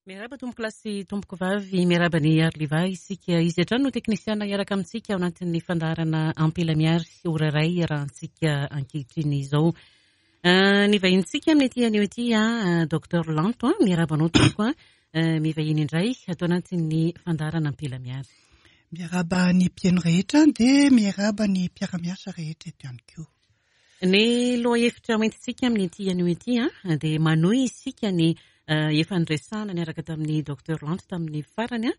Miarahaba tompoko lahy sy tompoko vavy, miarahaba an'i Arliva isika. Izy hatrany no teknisiana hiaraka amintsika ao anatin'ny fandaharana Ampela Miary, ora iray iarahantsika ankehitriny izao. Eh, ny vahinintsika amin'ity anio ity, ah, Docteur Lanto, ah, miarahaba anao tompoko, ah, eh, mivahiny indray ato anatin'ny fandaharana Ampela Miary. Miarahaba ny mpihaino rehetra dia miarahaba ny mpiara-miasa rehetra eto ihany koa. Ny lohahevitra hoentintsika amin'ity anio ity dia manohy isika ny efa niresahana niaraka tamin'ny Docteur Lanto tamin'ny farany,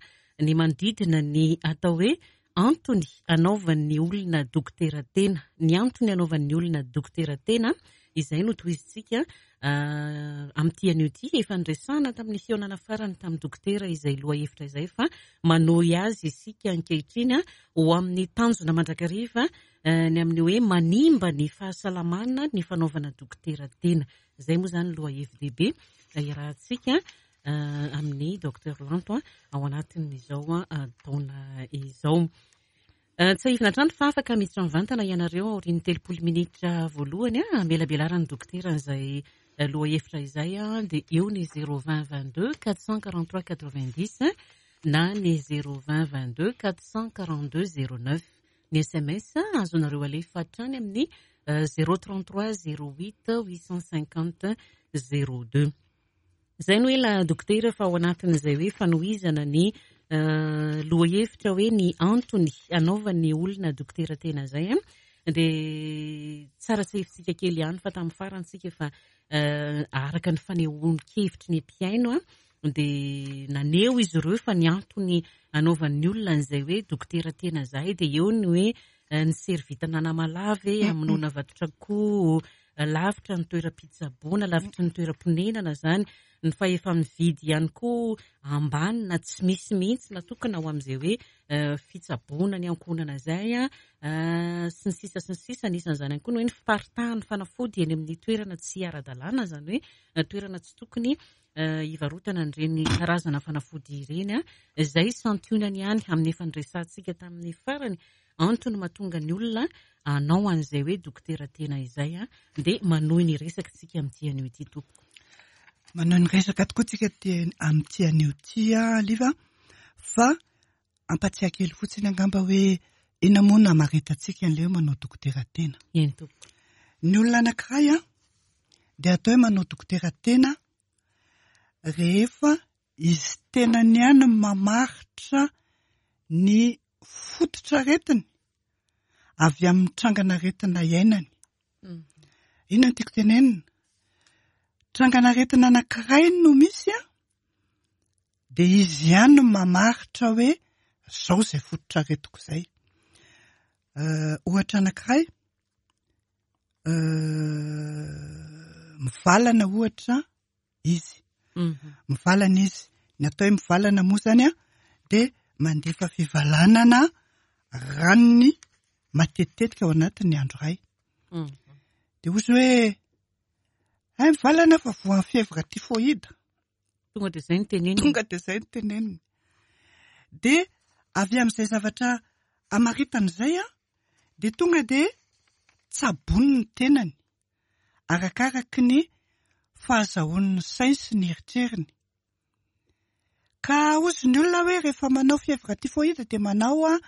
ny manodidina ny atao hoe antony anaovan'ny olona dokotera tena. Ny antony anaovan'ny olona dokotera tena, izay no tohizintsika amin'ity anio ity. Efa niresahana tamin'ny fihaonana farany tamin'ny dokotera izay lohahevitra izay fa manohy azy isika ankehitriny ho amin'ny tanjona mandrakariva Ny amin'ny hoe manimba ny fahasalamana ny fanaovana dokotera tena. Izay moa izany lohahevi-dehibe iarahantsika amin'ny Docteur Lanto ao anatin'izao taona izao. Tsiahivina hatrany fa afaka miditra mivantana ianareo aorian'ny 30 minitra voalohany hamelabelaran'ny dokotera an'izay lohahevitra izay dia eo ny 020 22 443 90 na ny 020 22 442 09. Ny sms azonareo alefa hatrany amin'ny 033 08 850 02. Izay no ela dokotera fa ao anatin'izay hoe fanohizana ny lohahevitra hoe ny antony anaovan'ny olona dokotera tena izay dia tsara tsiahivintsika kely ihany fa tamin'ny farany tsika efa araka ny fanehoan-kevitry ny mpihaino dia naneho izy ireo fa ny antony anaovan'ny olona an'izay hoe dokotera tena izay dia eo ny hoe ny servitana anamalava e, hamonoana vatotr'akoho, lavitra ny toeram-pitsaboana, lavitry ny toeram-ponenana izany, ny fahefa-mividy ihany koa ambany na tsy misy mihitsy natokana ho amin'izay hoe fitsaboana ny ankohonana izay sy ny sisa sy ny sisa, anisan'izany ihany koa ny hoe ny fiparitahan'ny fanafody eny amin'ny toerana tsy ara-dalàna, izany hoe toerana tsy tokony hivarotana an'ireny karazana fanafody ireny, izay santionany ihany amin'ny efa niresahantsika tamin'ny farany, antony mahatonga ny olona hanao an'izay hoe dokotera tena izay, dia manohy ny resaka tsika amin'ity anio ity tompoko. Manohy ny resaka tokoa tsika amin'ity anio ity Liva, fa ampatsiahy kely fotsiny angamba hoe inona moa no hamaritantsika an'ilay hoe manao dokotera tena. Eny tompoko. Ny olona anankiray dia atao hoe manao dokotera tena rehefa izy tenany ihany no mamaritra ny fototr'aretiny avy amin'ny trangan'aretina iainany. Inona no tiako tenenina? Trangan'aretina anankiray no misy an, dia izy ihany no mamaritra hoe zao izay fototr'aretiko izay. Ohatra anankiray, mivalana ohatra izy. Mivalana izy. Ny atao hoe mivalana moa izany an, dia mandefa fivalanana ranony matetitetika ao anatin'ny andro iray. Dia hozy hoe, hay mivalana fa voan'ny fièvre typhoïde. Tonga dia izay no teneniny. Tonga dia izay no teneniny. Dia avy amin'izay zavatra amaritana izay an, dia tonga dia tsaboiny ny tenany, arakaraky ny fahazahoany ny sainy sy ny eritreriny. Ka hozy ny olona hoe rehefa manao fièvre typhoïde dia manao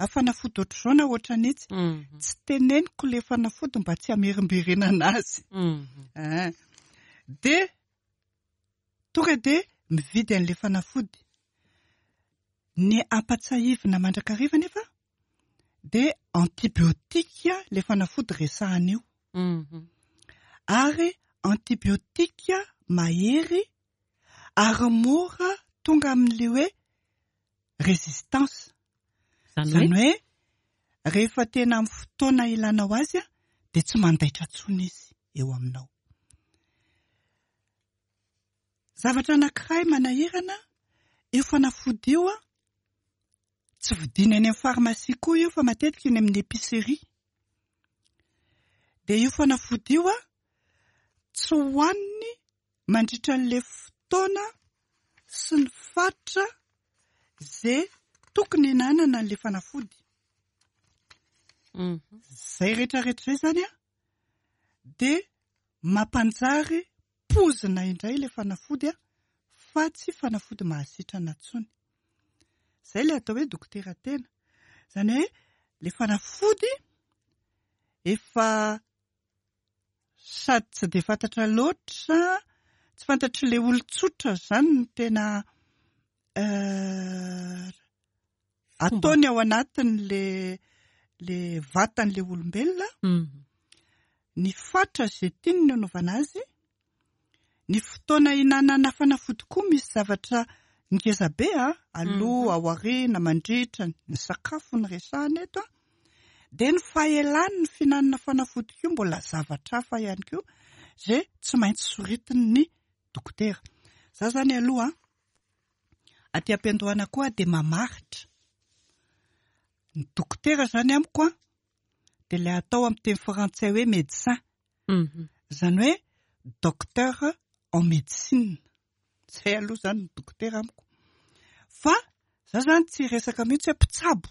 fanafody ohatr'izao na ohatran'itsy. Tsy teneniko ilay fanafody mba tsy hamerimberenana azy. Dia Tonga dia mividy an'ilay fanafody. Ny ampatsahivina mandrakariva anefa dia antibiotique ilay fanafody resahana io. Ary antibiotique mahery ary mora tonga amin'ilay hoe résistance. Izany hoe rehefa tena amin'ny fotoana ilanao azy dia tsy mandaitra intsony izy eo aminao. Zavatra anankiray manahirana, io fanafody io tsy vidiana eny amin'ny pharmacie koa io fa matetika eny amin'ny épicerie. Dia io fanafody io tsy hohaniny mandritra an'ilay fotoana sy ny faritra izay tokony hinanana an'ilay fanafody. Izay rehetrarehetra izay izany dia mampanjary pozina indray ilay fanafody. fa tsy fanafody mahasitrana intsony. Izay ilay atao hoe dokotera tena. Izany hoe ilay fanafody efa sady tsy dia fantatra loatra, tsy fantatr'ilay olon-tsotra izany ny tena ataony ao anatin'le le vatan'le olombelona, ny fatra izay tiany ny anaovana azy, ny fotoana ihinanana fanafody koa misy zavatra ngeza be a, aloha, ao aoriana, mandritra, ny sakafo no resahana eto a, dia ny fahelan'ny fihinanana fanafody koa mbola zavatra hafa ihany koa izay tsy maintsy soritin'ny dokotera. Za zany aloha aty am-piandohana koa dia mamaritra ny dokotera zany amiko a, dia ilay atao amin'ny teny frantsay hoe médecin. Izany hoe docteur en médecine. Izay aloha izany ny dokotera amiko. Fa za zany tsy hiresaka mihitsy hoe mpitsabo.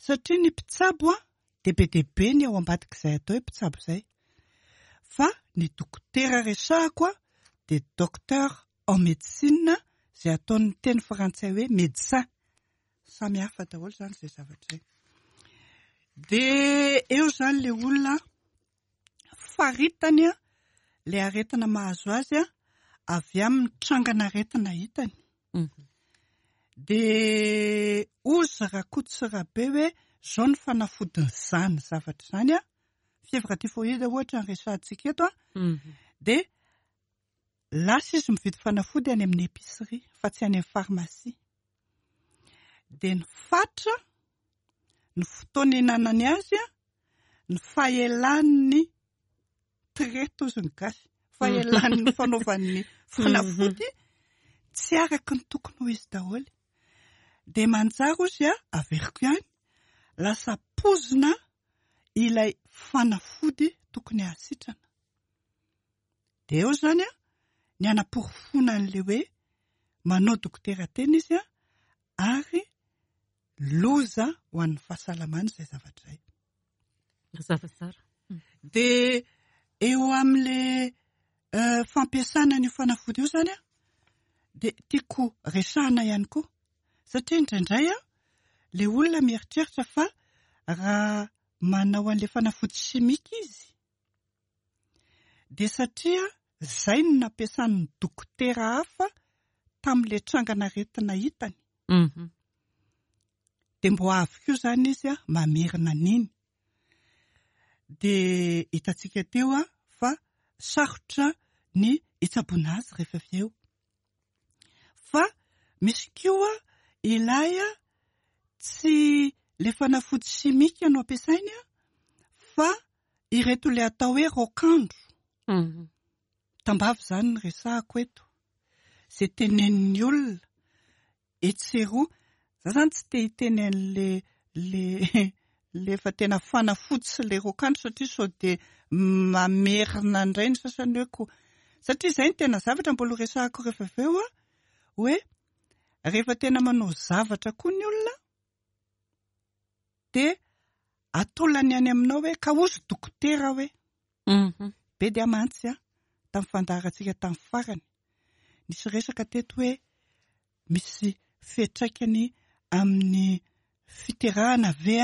Satria ny mpitsabo a, dia be dia be ny ao ambadik'izay atao hoe mpitsabo izay. Fa ny dokotera resahako a, dia docteur en médecine izay ataon'ny teny frantsay hoe médecin. Samy hafa daholo izany izay zavatra izay. Dia eo izany ilay olona faritany ilay aretina mahazo azy avy amin'ny trangan'aretina hitany. Dia hozy Rakoto sy Rabe hoe izao ny fanafodin'izany zavatra izany, fièvre typhoïde ohatra ny resahantsika eto, dia lasa izy mividy fanafody any amin'ny épicerie fa tsy any amin'ny pharmacie. Dia ny fatra, ny fotoana ihinanany azy, ny fahelan'ny traite hozy ny gasy, fahelan'ny fanaovan'ny fanafody tsy araka ny tokony ho izy daholo. Dia manjary hozy averiko ihany, lasa pozina ilay fanafody tokony hahasitrana. Dia eo izany ny hanaporofoana an'ilay hoe manao dokotera tena izy ary loza ho an'ny fahasalamany izay zavatra izay. Mazava tsara. Dia eo amin'ilay fampiasana an'io fanafody io izany dia tiako resahana ihany koa satria indraindray ilay olona mieritreritra fa raha manao an'ilay fanafody simika izy dia satria izay no nampiasan'ny dokotera hafa tamin'ilay trangan'aretina hitany. Dia mbo avy koa izany izy mamerina an'iny. Dia hitantsika teo fa sarotra ny hitsaboana azy rehefa avy eo. Fa misy koa ilay tsy ilay fanafody simika no ampiasainy fa ireto ilay atao hoe raokandro. Tambavy izany no resahako eto. Izay tenenin'ny olona etsy sy eroa. Za zany tsy te hiteny an'le le le efa tena fanafody sy le raokandro satria sao dia mamerina indray ny sasany hoe ko satria izay no tena zavatra mbola ho resahako rehefa avy eo hoe rehefa tena manao zavatra koa ny olona dia atolany any aminao hoe ka hozy dokotera hoe. Be dia mantsy an, tamin'ny fandaharantsika tamin'ny farany, nisy resaka teto hoe misy fiantraikany amin'ny fiterahana ve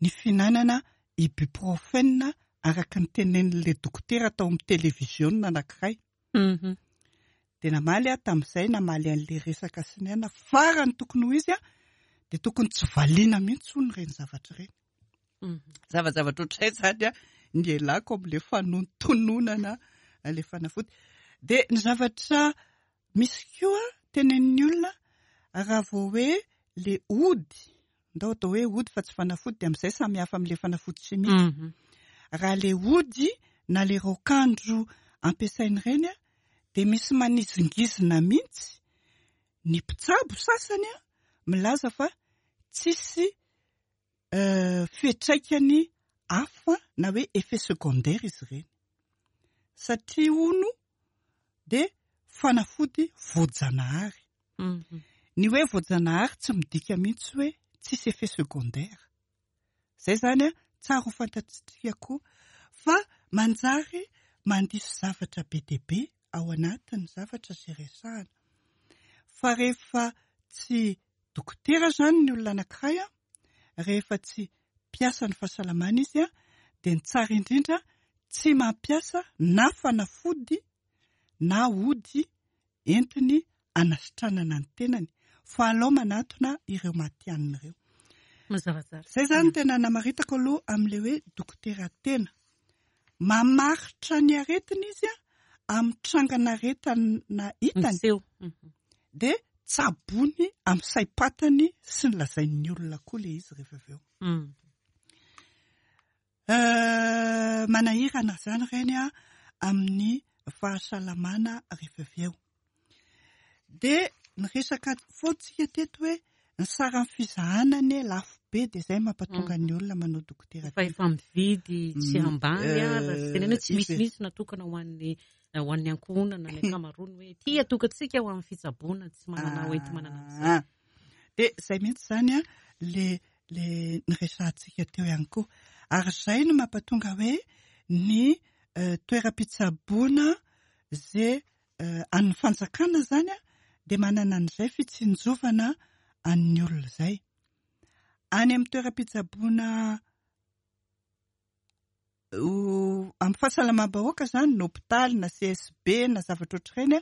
ny fihinanana ibuprofen araka ny tenenin'ilay dokotera tao amin'ny televiziona anankiray. Dia namaly aho tamin'izay, namaly an'ilay resaka sy ny aina, farany tokony ho izy dia tokony tsy valiana mihitsy hono ireny zavatra ireny. Zavajavatra ohatran'izay izany ny ialako amin'ilay fanontononana ilay fanafody. Dia ny zavatra misy koa tenenin'ny olona raha vao hoe le ody, ndao atao hoe ody fa tsy fanafody dia amin'izay samy hafa amin'ilay fanafody simika. Raha le ody na le raokandro ampiasaina ireny dia misy manizingizina mihitsy ny mpitsabo sasany milaza fa tsisy fiantraikany hafa na hoe effet secondaire izy ireny. Satria hono dia fanafody voajanahary. Ny hoe voajanahary tsy midika mihitsy hoe tsisy effet secondaire. Izay izany an, tsara ho fantatsika koa fa manjary mandiso zavatra be dia be ao anatin'ny zavatra izay resahana. Fa rehefa tsy dokotera izany ny olona anankiray, rehefa tsy mpiasan'ny fahasalamana izy, dia ny tsara indrindra tsy mampiasa na fanafody na ody entiny hanasitranana ny tenany fa alao manatona ireo matihanina ireo. Mazava tsara. Izay izany no tena namaritako aloha amin'ilay hoe dokotera tena. Mamaritra ny aretina izy amin'ny trangan'aretina hitany. Miseho. Dia tsaboiny amin'ny saim-patany sy ny lazain'ny olona koa ilay izy rehefa avy eo. Manahirana izany ireny amin'ny fahasalamana rehefa avy eo. Dia niresaka foana tsika teto hoe ny saran'ny fizahana anie lafo be dia izay mampatonga ny olona manao dokotera tena. Fa efa mividy tsy ambany aza, tsy teneno hoe tsy misy mihitsy natokana ho an'ny ho an'ny ankohonana ny ankamaroany hoe ity atokantsika ho amin'ny fitsaboana tsy manana ho enti-manana an'izay. Dia izay mihitsy izany le le niresahantsika teo ihany koa. Ary izay no mampatonga hoe ny toeram-pitsaboana izay an'ny fanjakana izany dia manana an'izay fitsinjovana an'ny olona izay. Any amin'ny toeram-pitsaboana amin'ny fahasalamam-bahoaka izany, na hopitaly na CSB na zavatra ohatr'ireny,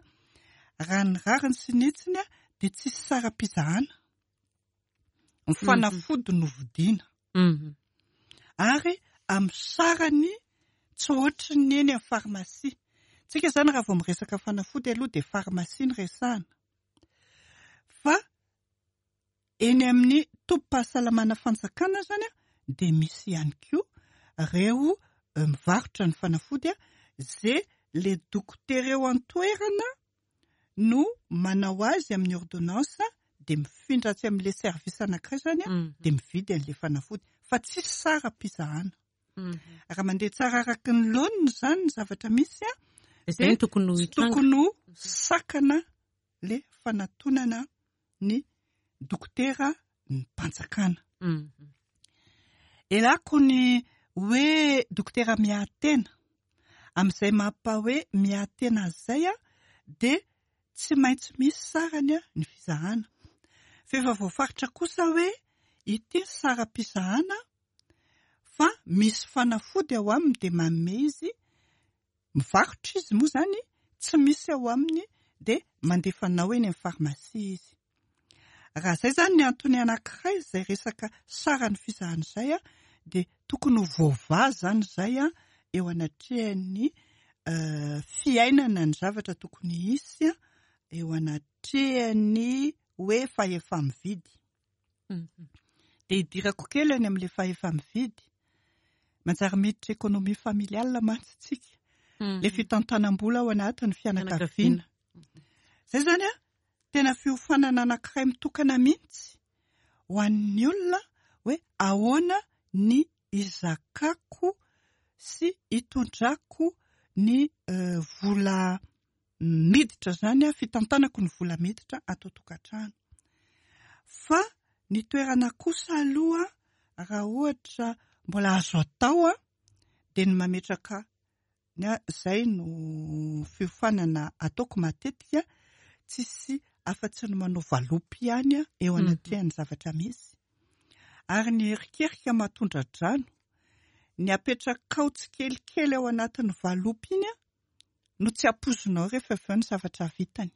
raha ny rariny sy ny hitsiny dia tsisy saram-pizahana. Ny fanafody no vidiana. Ary amin'ny sarany tsy ohatry ny eny amin'ny farmasia. Tsika izany raha vao miresaka fanafody aloha dia farmasia no resahana. Fa eny amin'ny tobim-pahasalamana fanjakana izany dia misy ihany koa ireo mivarotra ny fanafody izay le dokotera eo an-toerana no manao azy amin'ny ordonnance dia mifindra atsy amin'ilay service anankiray izany dia mividy an'ilay fanafody fa tsisy saram-pizahana. Raha mandeha tsara araka ny laoniny izany ny zavatra misy dia tsy tokony ho sakana ilay fanatonana ny dokotera ny mpanjakana. Elako ny hoe dokotera miahy tena. Amin'izay mampa hoe miahy tena azy izay dia tsy maintsy misy sarany ny fizahana. Fa efa voafaritra kosa hoe ity ny saram-pizahana fa misy fanafody ao aminy dia manome izy Mivarotra izy moa izany, tsy misy ao aminy dia mandefa anao eny amin'ny farmasia izy. Raha izay izany ny antony anankiray izay resaka saran'ny fizahana izay dia tokony ho voavaha izany izay eo anatrehan'ny fiainana ny zavatra tokony hisy eo anatrehan'ny hoe fahefa-mividy. Dia hidirako kely any amin'ilay fahefa-mividy. Manjary miditra économie familiale mantsy tsika. Ilay fitantanam-bola ao anatin'ny fianakaviana. Izay izany an, tena fiofanana anankiray mitokana mihitsy ho an'ny olona hoe ahoana ny hizakako sy hitondrako ny vola miditra izany an, fitantanako ny vola miditra ato an-tokantrano. Fa ny toerana kosa aloha raha ohatra mbola azo atao an, dia ny mametraka ny ahy izay no fiofanana ataoko matetika, tsisy afa-tsy ny manao valopy ihany eo anatrehan'ny zavatra misy. Ary ny erikerika mahatondra-drano, ny apetrakao tsikelikely ao anatin'ny valopy iny an, no tsy ampoizinao rehefa avy eo ny zavatra vitany.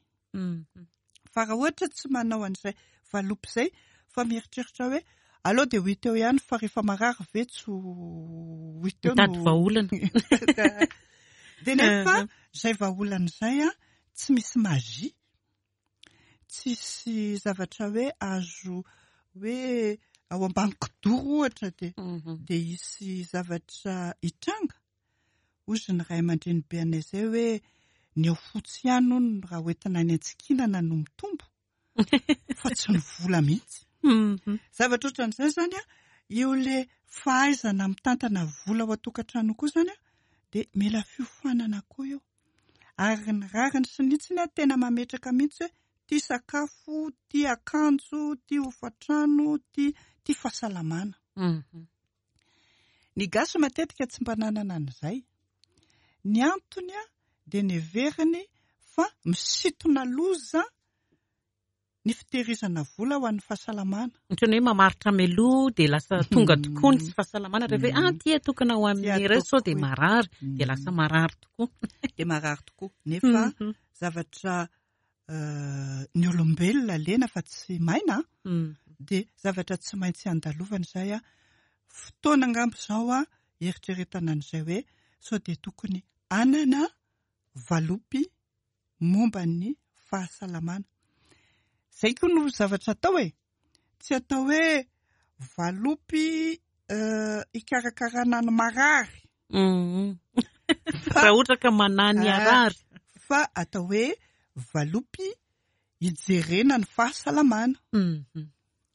Fa raha ohatra tsy manao an'izay valopy izay fa mieritreritra hoe aleo dia ho hita eo ihany fa rehefa marary ve tsy ho hita eo Mitady vahaolana. Dia nefa izay vahaolana izay an, tsy misy magie. Tsisy zavatra hoe azo hoe ao ambany kidoro ohatra dia dia hisy zavatra hitranga. Hozy ny ray aman-drenibe anay izay hoe ny ao fotsy ihany hono raha hoentina any an-tsikinana no mitombo fa tsy ny vola mihitsy. Zavatra ohatran'izay izany an, io le fahaizana mitantana vola ao an-tokantrano koa izany an, dia mila fiofanana koa io. Ary ny rariny sy ny hitsiny an, tena mametraka mihitsy hoe tia sakafo, tia akanjo, tia hofantrano, tia tia fahasalamana. Ny gasy matetika tsy mba nanana an'izay. Ny antony dia neveriny fa misintona loza Ny fitehirizana vola ho an'ny fahasalamana. Ohatran'ny hoe mamaritra mialoha dia lasa tonga tokoa ny tsy fahasalamana rehefa hoe ah ity atokana ho amin'ny iray sao dia marary dia lasa marary tokoa. Dia marary tokoa. Nefa zavatra ny olombelona lena fa tsy maina dia zavatra tsy maintsy andalovana izay. Fotoana angamba izao hieritreretana an'izay hoe sao dia tokony hanana valopy momba ny fahasalamana. Izay koa no zavatra atao e! Tsy atao hoe valopy hikarakarana ny marary. Raha ohatra ka manahy ny harary. Fa atao hoe valopy hijerena ny fahasalamana.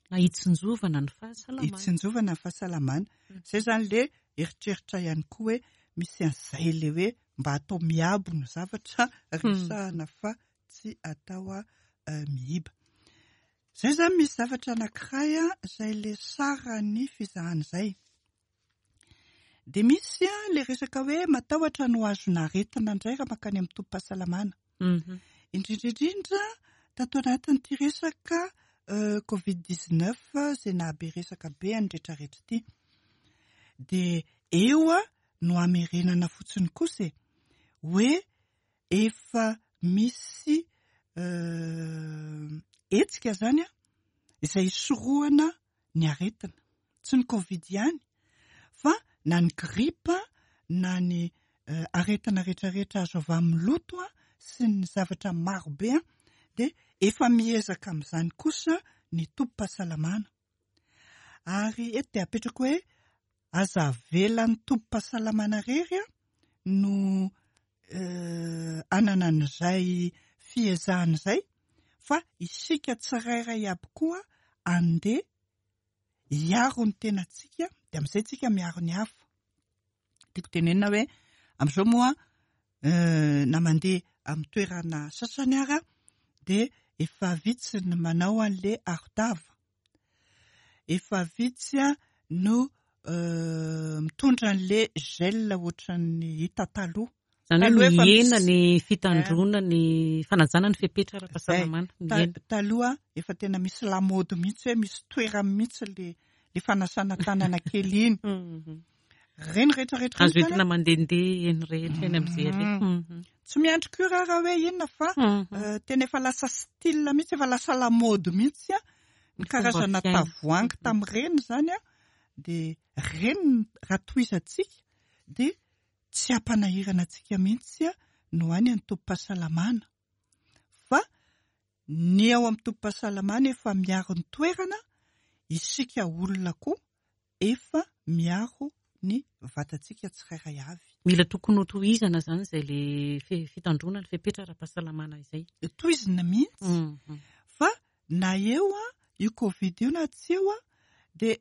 Na hitsinjovana ny fahasalamana. Hitsinjovana ny fahasalamana. Izay izany ilay eritreritra ihany koa hoe misy an'izay ilay hoe mba atao miabo ny zavatra resahana fa tsy atao miiba. Izay izany misy zavatra anankiray izay ilay saran'ny fizahana izay. Dia misy ilay resaka hoe matahotra ny ho azona aretina indray raha mankany amin'ny tobim-pahasalamana. Indrindra indrindra tato anatin'ity resaka Covid 19 izay nahabe resaka be an'ny rehetrarehetra ity. Dia eo no hamerenana fotsiny kosa e, hoe efa misy hetsika izany izay hisorohana ny aretina. Tsy ny Covid ihany fa na ny gripa na ny aretina rehetrarehetra azo avy amin'ny loto sy ny zavatra maro be dia efa miezaka amin'izany kosa ny tobim-pahasalamana. Ary eto dia apetrako hoe aza avela ny tobim-pahasalamana irery no hanana an'izay fiezahana izay fa isika tsirairay aby koa andeha hiaro ny tenantsika dia amin'izay tsika miaro ny hafa. Tiako tenenina hoe amin'izao moa na mandeha amin'ny toerana sasany ara dia efa vitsy ny manao an'le aro-tava. Efa vitsy no mitondra an'le gel ohatran'ny hita taloha. Izany hoe mihena ny fitandroana ny fanajana ny fepetra ara-pahasalamana. Mihena. Taloha efa tena misy lamaody mihitsy hoe misy toerany mihitsy le le fanasana tanana kely iny. Ireny rehetra rehetra Azo entina mandehandeha eny rehetra eny amin'izay aleha. Tsy miandry cure raha hoe inona fa tena efa lasa style mihitsy, efa lasa lamaody mihitsy ny karazana tavoahangy tamin'ireny izany dia ireny raha tohizantsika dia Tsy hampanahirana antsika mihitsy no any amin'ny tobim-pahasalamana fa ny ao amin'ny tobim-pahasalamana efa miaro ny toerana, isika olona koa efa miaro ny vatantsika tsirairay avy. Mila tokony ho tohizana izany izay le fitandroana ny fepetra ara-pahasalamana izay. Tohizina mihitsy fa na eo io covid io na tsy eo dia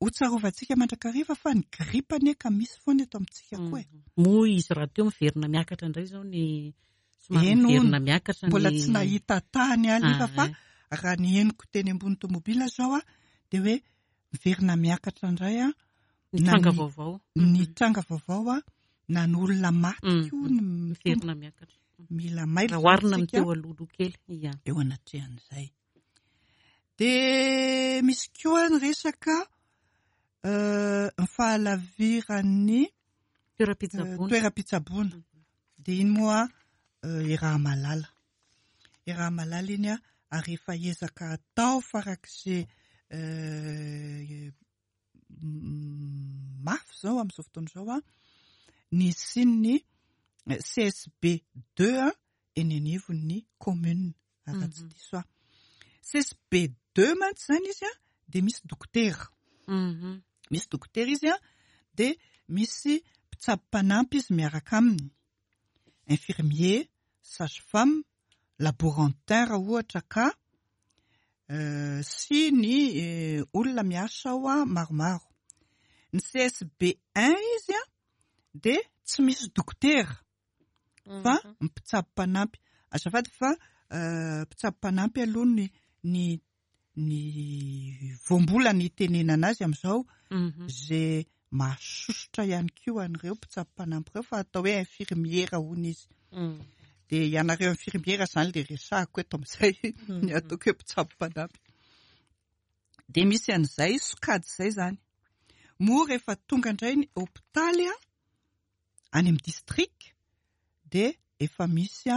Ho tsarovantsika mandrakariva fa ny grippe anie ka misy foana eto amintsika koa e. Moa izy rahateo miverina miakatra indray izao ny somary miverina miakatra ny Mbola tsy nahita tany aho nefa fa raha ny henoko teny ambony tomobila izao a dia hoe miverina miakatra indray a ny tranga vaovao. Ny tranga vaovao a na ny olona maty koa ny miverina miakatra. Mila mailo Raha oharina amin'ny teo alohaloha kely. Ia. Eo anatrehan'izay. Dia misy koa ny resaka ny fahalaviran'ny toeram-pitsaboana. Toeram-pitsaboana. Dia iny moa Irahamalala. Irahamalala iny ary efa ezaka atao farak'izay mafy izao amin'izao fotoana izao ny hisian'ny CSB deux eny anivon'ny commune raha tsy diso aho. CSB deux mantsy izany izy dia misy dokotera. Misy dokotera izy dia misy mpitsabo mpanampy izy miaraka aminy. Infirmier, sage femme, laborantin raha ohatra ka sy ny olona miasa ao maromaro. Ny CSB un izy dia tsy misy dokotera fa mpitsabo mpanampy. Azafady fa mpitsabo mpanampy aloha ny ny ny voambolana itenenana azy amin'izao izay mahasosotra ihany koa an'ireo mpitsabo mpanampy ireo fa atao hoe infirmiera hono izy. Dia ianareo infirmiera izany ilay resahako eto amin'izay, ny ataoko hoe mpitsabo mpanampy. Dia misy an'izay sokajy izay izany. Moa rehefa tonga indray ny hopitaly any amin'ny district dia efa misy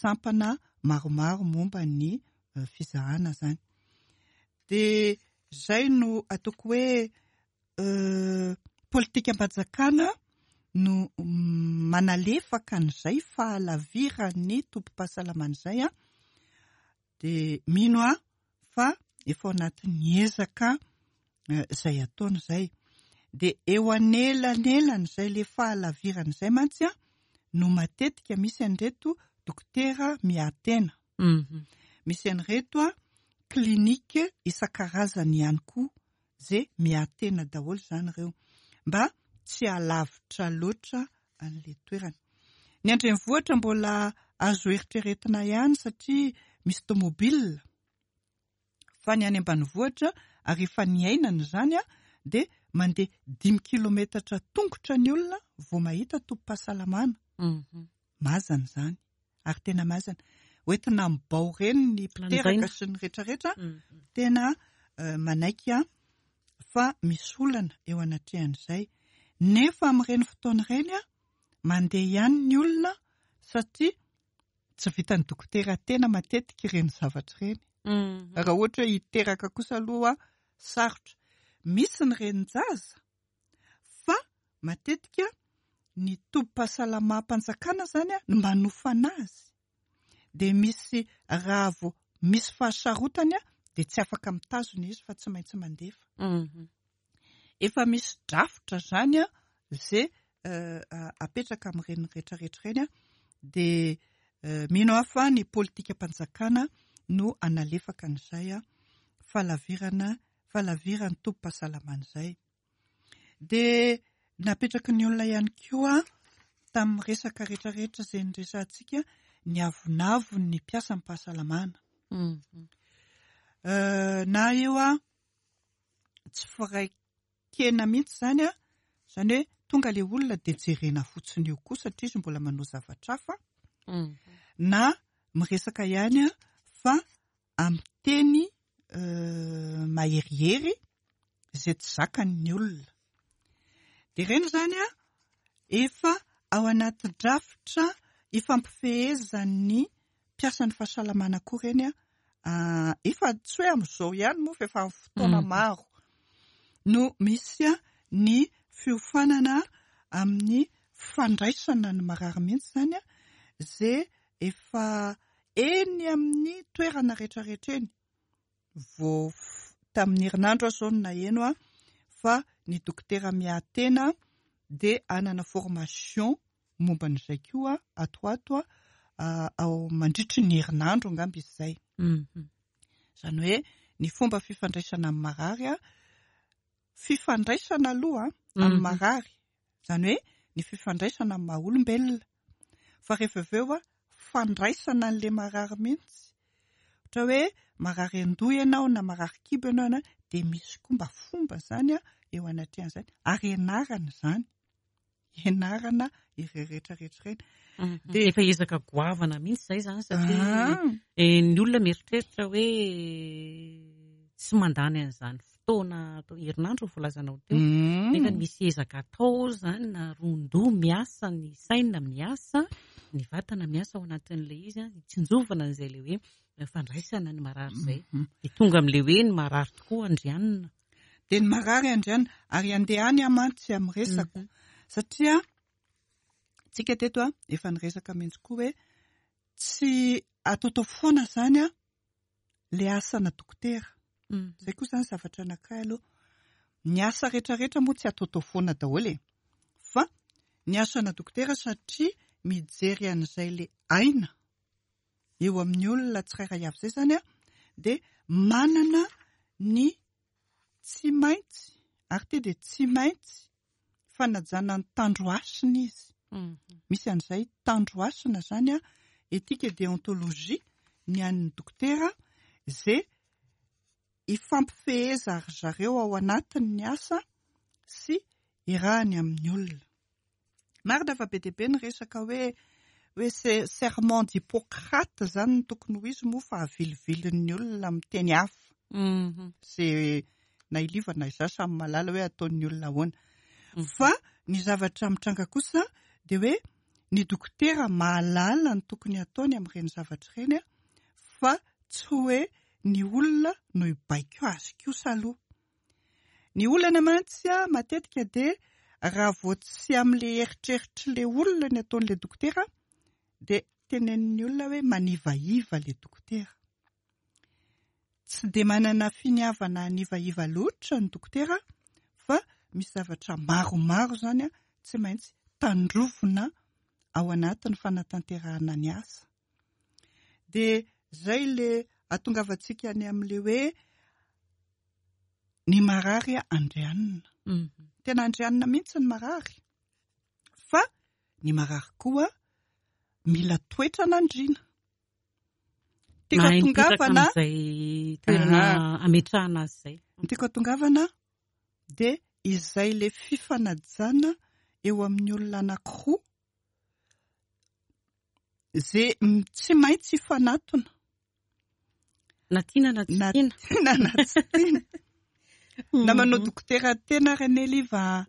sampana maromaro momba ny fizahana izany. Dia izay no ataoko hoe politikam-panjakana no manalefaka an'izay fahalaviran'ny tobim-pahasalamana izay an, dia mino aho fa efa ao anatin'ny ezaka izay ataony izay. Dia eo anelanelan'izay le fahalavirana izay mantsy an, no matetika misy an'ireto dokotera miahy tena. Misy an'ireto an, clinique isan-karazany ihany koa ze miahy tena daholo izany ireo mba tsy halavitra loatra an'le toerana. Ny andrenivohitra mbola azo eritreretina ihany satria misy tomobile fa ny any ambanivohitra ary efa niainana izany dia mandeha dimy kilometatra tongotra ny olona vao mahita tobim-pahasalamana. Mazana izany ary tena mazana. Hoentina amin'ny bao ireny ny mpiteraka sy ny rehetrarehetra, tena manaiky aho fa misy olana eo anatrehan'izay. Nefa amin'ireny fotoana ireny mandeha ihany ny olona satria tsy vitan'ny dokotera tena matetika ireny zavatra ireny. Raha ohatra hoe hiteraka kosa aloha sarotra. Misy ny renin-jaza fa matetika ny tobim-pahasalamam-panjakana izany no manofana azy dia misy raha vao misy fahasarotany dia tsy afaka mitazona izy fa tsy maintsy mandefa. Efa misy drafitra izany izay apetraka amin'ireny rehetrarehetra ireny dia mino aho fa ny politikam-panjakana no hanalefaka an'izay fahalavirana fahalaviran'ny tobim-pahasalamana izay. Dia napetraky ny olona ihany koa tamin'ny resaka rehetrarehetra izay niresahantsika ny avonavon'ny mpiasan'ny fahasalamana. Na eo a tsy firaikena mihitsy izany a, izany hoe tonga ilay olona dia jerena fotsiny eo koa satria izy mbola manao zavatra hafa, na miresaka ihany a fa amin'ny teny maherihery izay tsy zakany ny olona. Dia ireny izany an, efa ao anaty drafitra ifampifehezan'ny mpiasan'ny fahasalamana koa ireny an, efa tsy hoe amin'izao ihany moa fa efa amin'ny fotoana maro no misy ny fiofanana amin'ny fandraisana ny marary mihitsy izany an, izay efa eny amin'ny toerana rehetrarehetra eny. Vao tamin'ny herinandro aho izao no naheno fa ny dokotera miahy tena dia hanana formation momba an'izay koa ato ho ato ao mandritry ny herinandro angamba izy izay. Izany hoe ny fomba fifandraisana amin'ny marary, fifandraisana aloha amin'ny marary, izany hoe ny fifandraisana amin'ny maha olombelona, fa rehefa avy eo fandraisana an'ilay marary mihitsy, ohatra hoe marary an-doha ianao na marary kibo ianao na dia misy koa mba fomba izany eo anatrehan'izany ary ianarana izany, ianarana ireo rehetra rehetra ireny. Dia efa ezaka goavana mihitsy izay izany satria ny olona mieritreritra hoe tsy mandany an'izany fotoana atao herinandro ny voalazanao teo. Nefa misy ezaka atao izany na ron-doha miasa, ny saina miasa, ny vatana miasa ao anatin'ilay izy, hitsinjovana an'izay ilay hoe fandraisana ny marary izay. Dia tonga amin'ilay hoe ny marary tokoa andrianina. Dia ny marary andrianina, ary handeha any aho mantsy amin'ny resako satria tsika teto efa niresaka mihitsy koa hoe tsy ataotao foana izany le asana dokotera. Izay koa izany zavatra anankiray aloha. Ny asa rehetrarehetra moa tsy ataotao foana daholo e. Fa ny asana dokotera satria mijery an'izay le aina eo amin'ny olona tsirairay avy izay izany dia manana ny Tsy maintsy, ary ity dia tsy maintsy, fanajana ny tandro hasina izy. Misy an'izay tandro hasina izany an, éthique et déontologie ny an'ny dokotera izay ifampifeheza ry zareo ao anatin'ny asa sy iarahany amin'ny olona. Marina fa be dia be ny resaka hoe. hoe serment d'Hippocrate zany no tokony ho izy moa fa avilivilin'ny olona amin'ny teny hafa. Ze na i Liva na izaho samy mahalala hoe ataon'ny olona ahoana. Fa ny zavatra mitranga kosa dia hoe ny dokotera mahalala ny tokony hataony amin'ireny zavatra ireny fa tsy hoe ny olona no hibaiko azy kosa aloha. Ny olana mantsy matetika dia raha vao tsy amin'ilay eritreritr'ilay olona ny ataon'ilay dokotera dia tenenin'ny olona hoe manivaiva ilay dokotera. Tsy dia manana finiavana hanivaiva loatra ny dokotera fa misy zavatra maromaro izany tsy maintsy tandrovina ao anatin'ny fanatanterahana ny asa. Dia izay ilay ahatongavantsika any amin'ilay hoe ny marary andrianina. Tena andrianina mihitsy ny marary fa ny marary koa mila toetra an'andriana. Tiako Mahay mipetraka atongavana amin'izay toerana ametrahana azy izay. Ny tiako atongavana dia izay le fifanajana eo amin'ny olona anankiroa ze tsy maintsy hifanatona. Na tiana na tsy Na tiana. tiana na tsy tiana. Na manao dokotera tena ary anie Liva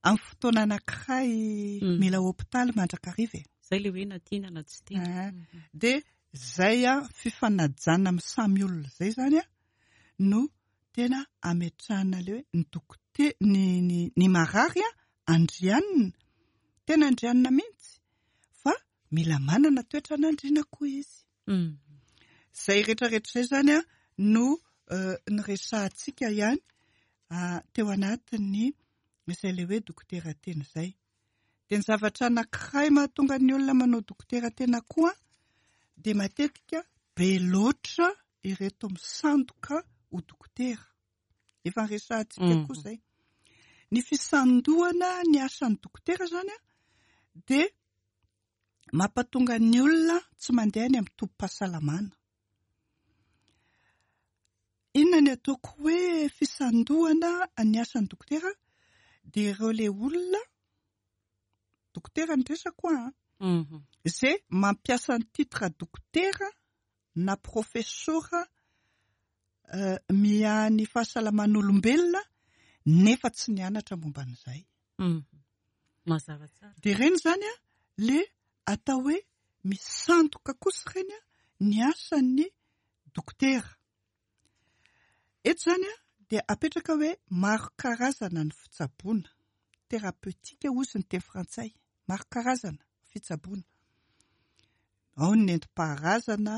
amin'ny fotoana anankiray mila hopitaly mandrakariva e. Izay ilay hoe na tiana na tsy tiana. Dia izay fifanajana amin'ny samy olona izay izany no tena ametrahana ilay hoe ny dokote-, ny, ny, ny marary andrianina, tena andrianina mihitsy fa mila manana toetra an'andriana koa izy. Izay rehetrarehetra izay izany no niresahantsika ihany teo anatin'ny izay ilay hoe dokotera tena izay. Dia ny zavatra anankiray mahatonga ny olona manao dokotera tena koa dia matetika be loatra ireto misandoka ho dokotera. Efa niresahantsika koa izay. Ny fisandohana ny asan'ny dokotera izany dia mampatonga ny olona tsy mandeha any amin'ny tobim-pahasalamana. Inona ny ataoko hoe fisandohana ny asan'ny dokotera? Dia ireo ilay olona, dokotera ny resako an, izay mampiasa ny titre dokotera na profesora miahy ny fahasalaman'olombelona nefa tsy nianatra momba an'izay. Mazava tsara. Dia ireny izany an, le atao hoe misandoka kosa ireny an, ny asan'ny dokotera. Eto izany an, dia apetraka hoe maro karazana ny fitsaboana, thérapeutique hozy ny teny frantsay, maro karazana fitsaboana. Ao ny nentim-paharazana,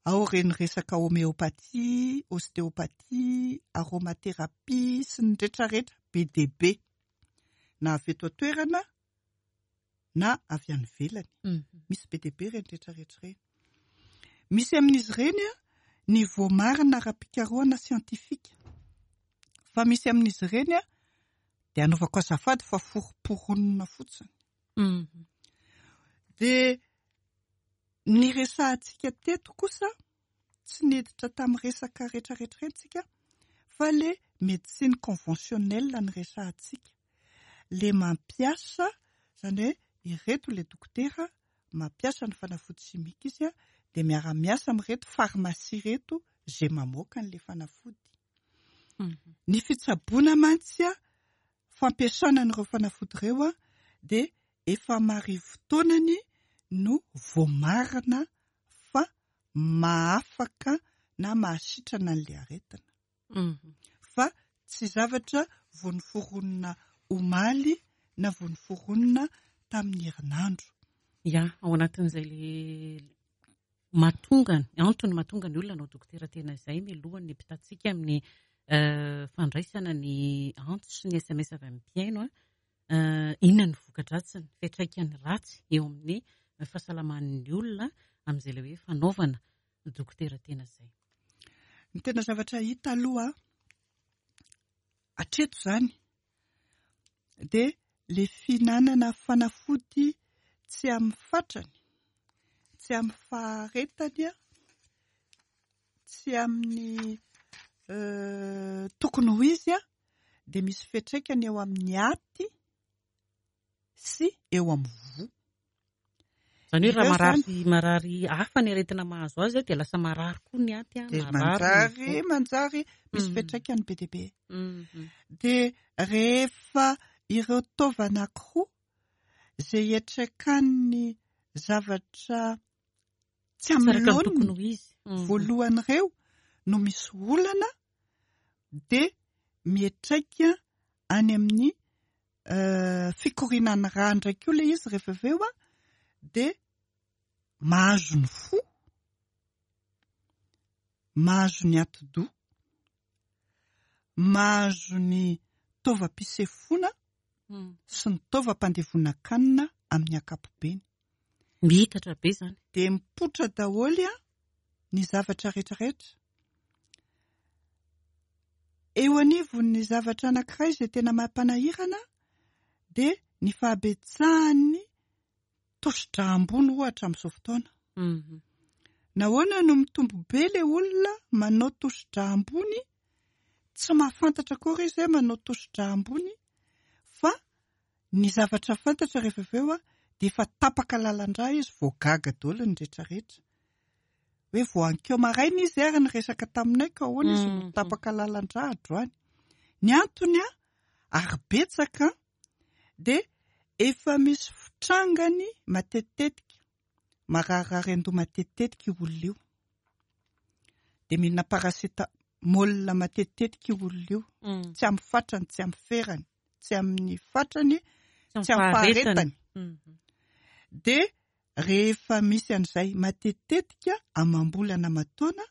ao ireny resaka homéopathie, ostéopathie, aromathérapie sy ny retraretra be dia be. Na avy eto an-toerana na avy any ivelany. Misy be dia be ireny retraretra ireny. Misy amin'izy ireny ny voamarina ara-pikarohana siantifika. Fa misy amin'izy ireny dia anaovako azafady fa foromporonina fotsiny. Dia ny resahantsika teto kosa tsy niditra tamin'ny resaka retraretra ireny tsika fa le médecine conventionnelle ny resahantsika. Le mampiasa, izany hoe ireto le dokotera mampiasa ny fanafody simika izy dia miara-miasa amin'ireto pharmacie ireto izay mamoaka an'ilay fanafody. Ny fitsaboana mantsy fampiasana an'ireo fanafody ireo dia efa marivo taonany no voamarina fa mahafaka na mahasitrana an'ilay aretina. Fa tsy zavatra vao noforonina omaly na vao noforonina tamin'ny herinandro. Ya, ao anatin'izay le mahatonga, antony mahatonga ny olona hanao dokotera tena izay mialohan'ny hampitantsika amin'ny fandraisana ny antso sy ny SMS avy amin'ny mpihaino. Inona ny voka-dratsiny, fiantraikany ratsy eo amin'ny fahasalaman'ny olona amin'izay ilay hoe fanaovana dokotera tena izay? Ny tena zavatra hita aloha hatreto izany dia ilay fihinanana fanafody tsy amin'ny fatrany, tsy amin'ny faharetany, tsy amin'ny tokony ho izy dia misy fiantraikany eo amin'ny aty sy eo amin'ny voa. Izany hoe raha Ireo marary izany marary hafa ny aretina mahazo azy dia lasa marary koa ny aty an, dia marary ny manjary voa. manjary misy fiantraikany be dia be. Mhm. Dia rehefa ireo taova anankiroa izay iantraikan'ny zavatra tsy Tsy amin'ny araka ny tokony laoniny ho izy. Mhm. voalohany ireo no misy olana dia miantraika any amin'ny fikorianan'ny rà indray koa ilay izy rehefa avy eo dia mahazo ny fo, mahazo ny atidoha, mahazo ny taovam-pisefoana sy ny taovam-pandevonan-kanina amin'ny ankapobeny. Mihitatra be izany. Dia mipoitra daholo ny zavatra rehetrarehetra. Eo anivon'ny zavatra anankiray izay tena mampanahirana dia ny fahabetsahan'ny tosidra ambony ohatra amin'izao fotoana. Nahoana no mitombo be ilay olona manao tosidra ambony? Tsy mahafantatra akory izy hoe manao tosidra ambony fa ny zavatra fantatra rehefa avy eo dia efa tapaka lalan-drà izy vao gaga daholo ny rehetrarehetra. Hoe vao ankeo maraina izy ary niresaka taminay ka ahoana izy no tapaka lalan-drà androany. Ny antony ary betsaka dia efa misy fitrangany matetitetika, mararirary an-doha matetitetika io olona io. Dia mihinana paracetamol matetitetika io olona io. Tsy amin'ny fatrany, tsy amin'ny ferany, tsy amin'ny fatrany, tsy amin'ny faharetany. Dia rehefa misy an'izay matetitetika amam-bolana aman-taona,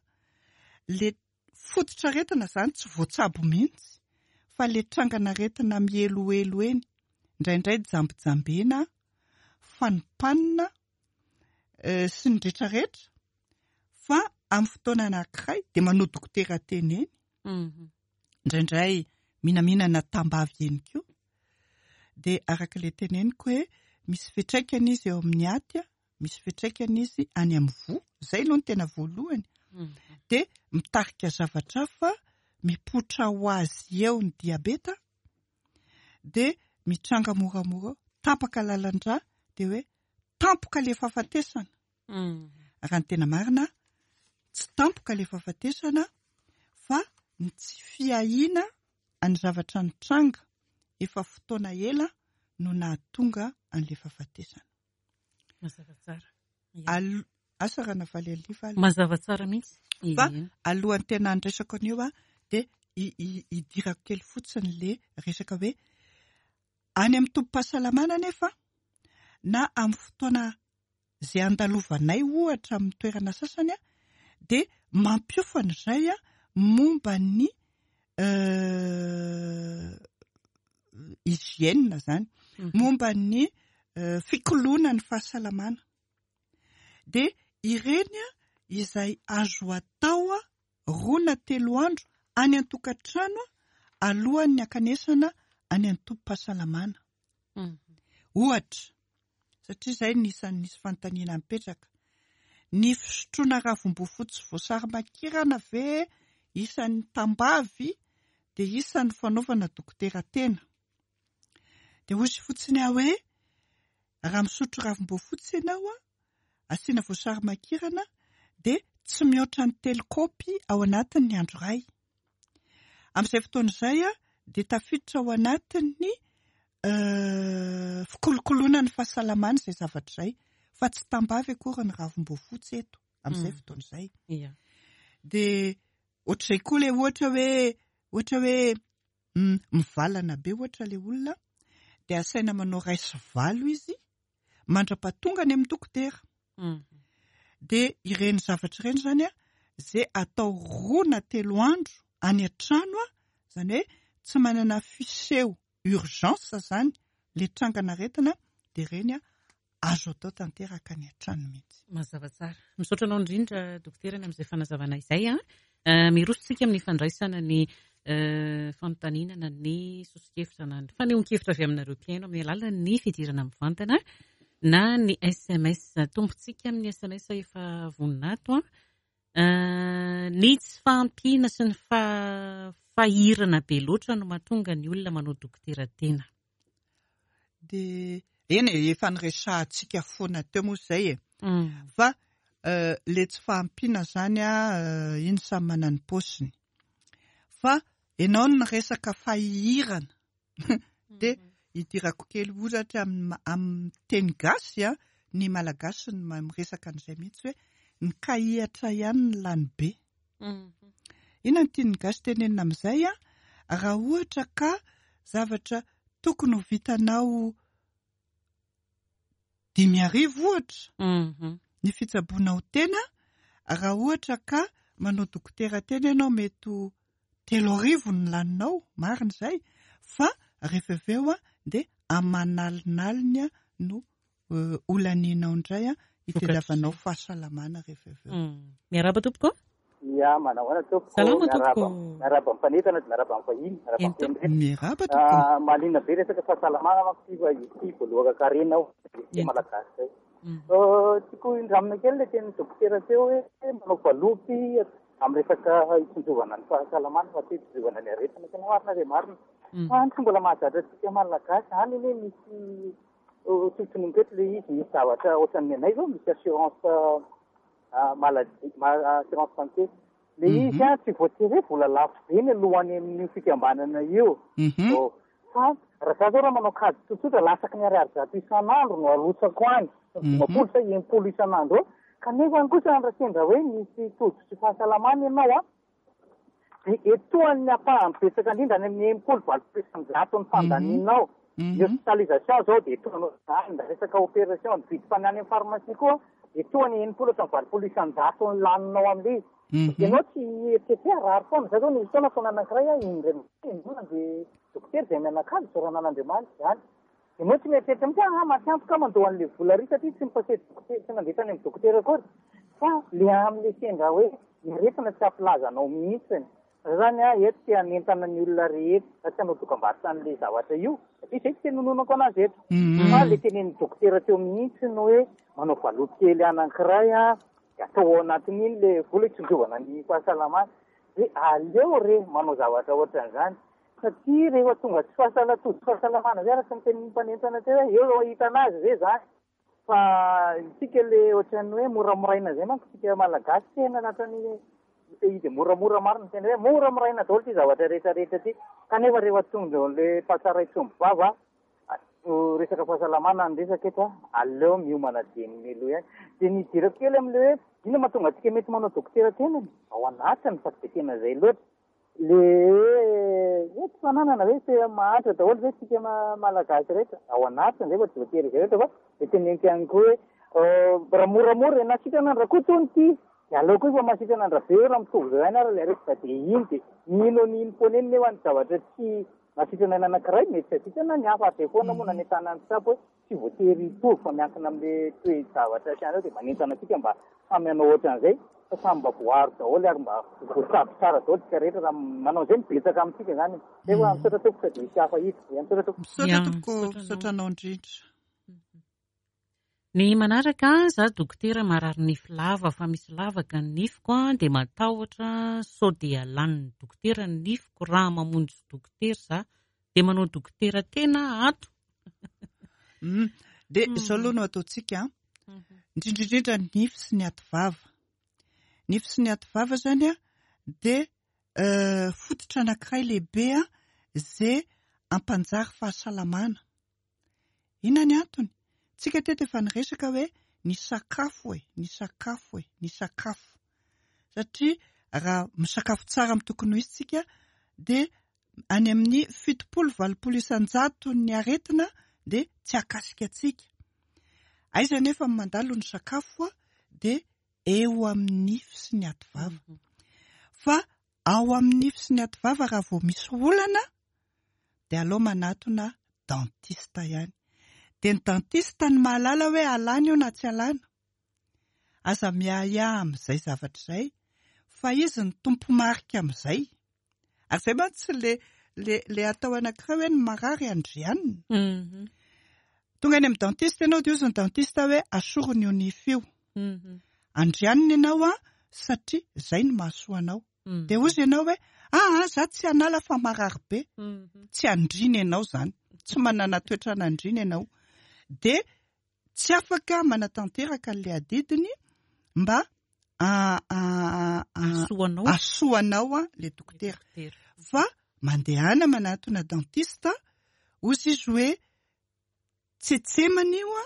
ilay fototr'aretina izany tsy voatsabo mihitsy fa ilay trangan'aretina mihelohelo eny, indraindray jambijambena, fanimpanina sy ny rehetrarehetra, fa amin'ny fotoana anankiray dia manao dokotera teny eny, indraindray mihinamhinana tambavy eny koa, dia araka ilay teneniko hoe misy fiantraikany izy eo amin'ny aty, misy fiantraikany izy any amin'ny voa, izay aloha no tena voalohany, dia mitarika zavatra hafa mipoitra ho azy eo ny diabeta, dia mitranga moramora eo, tapaka lalan-drà, dia hoe tampoka ilay fahafatesana. Raha ny tena marina, tsy tampoka ilay fahafatesana fa ny tsy fiahiana ny zavatra nitranga efa fotoana ela no nahatonga an'ilay fahafatesana. Mazava tsara. Asa raha navaly an'ilay fa aloha. Mazava tsara mihitsy. Fa alohan'ny tena handraisako an'io aho dia hidirako kely fotsiny ilay resaka hoe any amin'ny tobim-pahasalamana anefa na amin'ny fotoana izay andalovanay ohatra amin'ny toerana sasany dia mampiofana izay momba ny hygiène izany, momba ny fikoloana ny fahasalamana. Dia ireny izay azo atao roa na telo andro any an-tokantrano alohan'ny hankanesana any an-tobim-pahasalamana. Ohatra, satria izay no isan'ny nisy fanontaniana nipetraka, ny fisotroana ravim-boafotsy voasary makirana ve isan'ny tambavy dia isan'ny fanaovana dokotera tena? Dia hoy fotsiny aho hoe, raha misotro ravim-boafotsy ianao, asiana voasary makirana dia tsy mihoatra ny 3 kaopy ao anatin'ny andro iray. Amin'izay fotoana izay dia tafiditra ao anatin'ny fikolokoloana ny fahasalamana izay zavatra izay, fa tsy tambavy akory ny ravim-boafotsy eto amin'izay fotoana izay. Dia ohatr'izay koa ilay ohatra hoe, ohatra hoe mivalana be ohatra ilay olona dia asaina manao iray sy valo izy mandra-pahatonga any amin'ny dokotera. Dia ireny zavatra ireny izany izay atao 2 na 3 andro any an-trano, izany hoe tsy manana fiseho urgence izany ilay trangan'aretina, dia ireny azo atao tanteraka any an-trano mihitsy. Mazava tsara. Misaotra anao indrindra dokotera ny amin'izay fanazavana izay. Miroso isika amin'ny fandraisana ny fanontaniana na ny soso-kevitra na ny fanehoan-kevitra avy aminareo mpihaino amin'ny alalan'ny fidirana mivantana na ny SMS. Tompontsika amin'ny SMS efa vonona ato. Ny tsy fahampiana sy ny fahirana be loatra no mahatonga ny olona manao dokotera tena. Dia Eny e, efa niresahantsika foana teo moa izay e. Fa le tsy fahampiana izany an, iny samy manana ny paosiny. Fa ianao no niresaka fahihirana. Dia idirako kely ohatra amin'ny teny gasy an, ny malagasy no miresaka an'izay mihitsy hoe ny kahihatra ihany no lany be. Inona no tian'ny gasy tenenina amin'izay an? Raha ohatra ka zavatra tokony ho vitanao 5000 ohatra ny fitsaboanao tena, raha ohatra ka manao dokotera tena ianao mety ho 3000 ny laninao, marina izay, fa rehefa avy eo dia aman'alinaliny no holanianao indray hitadiavanao fahasalamana rehefa avy eo. Miarahaba tompoko. Ya, manao ahoana tompoko? Salama tompoko. Miarahaba amin'ny mpanentana dia miarahaba amin'ny vahiny, miarahaba amin'ny mpihaino rehetra. Miarahaba tompoko. Ah, mahaliana be resaka fahasalamana manko ity fa ity voalohan-karena ao isika Malagasy izay. Tiako indramina kely ilay tenin'ny dokotera teo hoe manao valopy amin'ny resaka hitsinjovana ny fahasalamana fa tsy hitsinjovana ny aretina. Tena marina dia marina. Fa ny tsy mbola mahazatra antsika Malagasy any anie misy Tsotsoniko eto ilay izy, misy zavatra ohatran'ny anay izao, misy assurance maladie, assurance santé. Ilay izy an, tsy voatery hoe vola lafo be ny aloha any amin'io fikambanana io. Fa raha za zao raha manao kajy tsotsotra, latsaky ny ariary 100 isan'andro no arotsako any, 50 sa 60 isan'andro eo. Kanefa kosa raha sendra hoe misy tojo tsy fahasalamana ianao an, Dia etoan'ny ampahany betsaka indrindra any amin'ny 60 80% ny fandanianao. Ny hospitalisation izao dia etoanao izany, ny resaka opération, ny vidim-panany any amin'ny pharmacie koa etoany 60 hatramin'ny 80% ny laninao amin'ilay izy. Ianao tsy hieritreritra hoe harary foana. Izaho izao nisy fotoana fotoana anankiray aho indray mandeha indroa nandeha dokotera izay mianakavy isaorana an'Andriamanitra izany. Ianao tsy mieritreritra mihitsy hoe ah maty antoka aho mandoa an'ilay vola ary satria tsy mi-passer dokotera, tsy nandeha tany amin'ny dokotera akory. Fa le amin'ilay sendra hoe ny aretina tsy hampilaza anao mihitsiny. Za zany ah eto te hanentana ny olona rehetra, za tsy hanao dokambarotra an'ilay zavatra io satria izay tsy tenononako anazy eto. Fa le tenenin'ny dokotera teo mihitsy ny hoe manao valopy kely anankiray ah, dia atao ao anatin'iny le vola hitsinjovana ny fahasalamana. Dia aleo re manao zavatra ohatran'izany. Satria rehefa tonga tsy fahasala tojo fahasalamana zay araka ny tenin'ny mpanentana teo hoe eo ahitana azy ve zany fa isika le ohatran'ny hoe moramoraina zay manko isika malagasy tena anatin'ny pays de moramora marina tena hoe moramoraina daholo ty zavatra rehetra rehetra ty kanefa rehefa tonga eo le mpahatsara itsomby vava resaka fahasalamana ny resaka eto aleo miomana dieny mialoha ihany dia ny idirako kely amin'le hoe inona mahatonga antsika mety manao dokotera tenany ao anatiny fa tsy de tena zay loatra Le hoe tsy fananana ve tsy mahantra daholo ve tsika malagasy rehetra? Ao anatiny zay fa tsy voatery izay rehetra fa de teneniko ihany koa hoe raha moramora e na sitrana an-dRakoto hono ity de aleo koa efa mahasitrana an-dRabe eo raha mitovy zao ihany ary le aretina de iny de mino an'iny foana eny nefa ny zavatra tsy mahasitrana ny anankiray mety tsy hahasitrana ny hafa ary zay foana moa nanentanan'ny mpitsabo hoe tsy voatery hitovy fa miankina amin'le toe-javatra sy an'ireo dia manentana antsika mba samy hanao ohatran'izay fa samy mba voaaro daholo ary mba voatsabo tsara daholo isika rehetra raha manao an'izay no betsaka amintsika izany e. Zay fa misaotra tompoko sady hisy hafa hiditra. Ia misaotra tompoko. Misaotra tompoko, misaotra anao indrindra. Ny manaraka, za dokotera marary nify lava fa misy lavaka ny nifiko dia matahotra sao dia lanin'ny dokotera ny nifiko raha mamonjy dokotera za dia manao dokotera tena ato. Dia izao aloha no ataontsika an. Indrindra indrindra ny nify sy ny ativava. Nify sy ny ativava izany an, dia fototra anankiray lehibe an, izay hampanjary fahasalamana. Inona ny antony? Tsika teto efa niresaka hoe ny sakafo e, ny sakafo e, ny sakafo. Satria raha misakafo tsara amin'ny tokony ho izy tsika dia any amin'ny 70 80 isan-jato ny aretina dia tsy hakasika antsika. Aiza nefa ny mandalo ny sakafo dia eo amin'ny nify sy ny ativava. Fa ao amin'ny nify sy ny ativava raha vao misy olana dia aleo manatona dentiste ihany. Dia ny dentiste no mahalala hoe alana io na tsy alana. Aza miahiahy amin'izay zavatra izay fa izy no tompo-marika amin'izay. Ary izay mantsy le le le atao anankiray hoe ny marary andrianina. Tonga any amin'ny dentiste ianao dia hozy ny dentiste hoe asoriny io nify io. Andrianina ianao an satria izay no mahasoa anao. Dia hozy ianao hoe aa za tsy hanala fa marary be. Tsy andriana ianao izany. Tsy manana toetra an'andriana ianao. dia tsy afaka manatanteraka an'ilay adidiny mba hahasoa anao ilay dokotera. Fa mandehana manatona dentiste, hozy izy hoe tsetsemana io,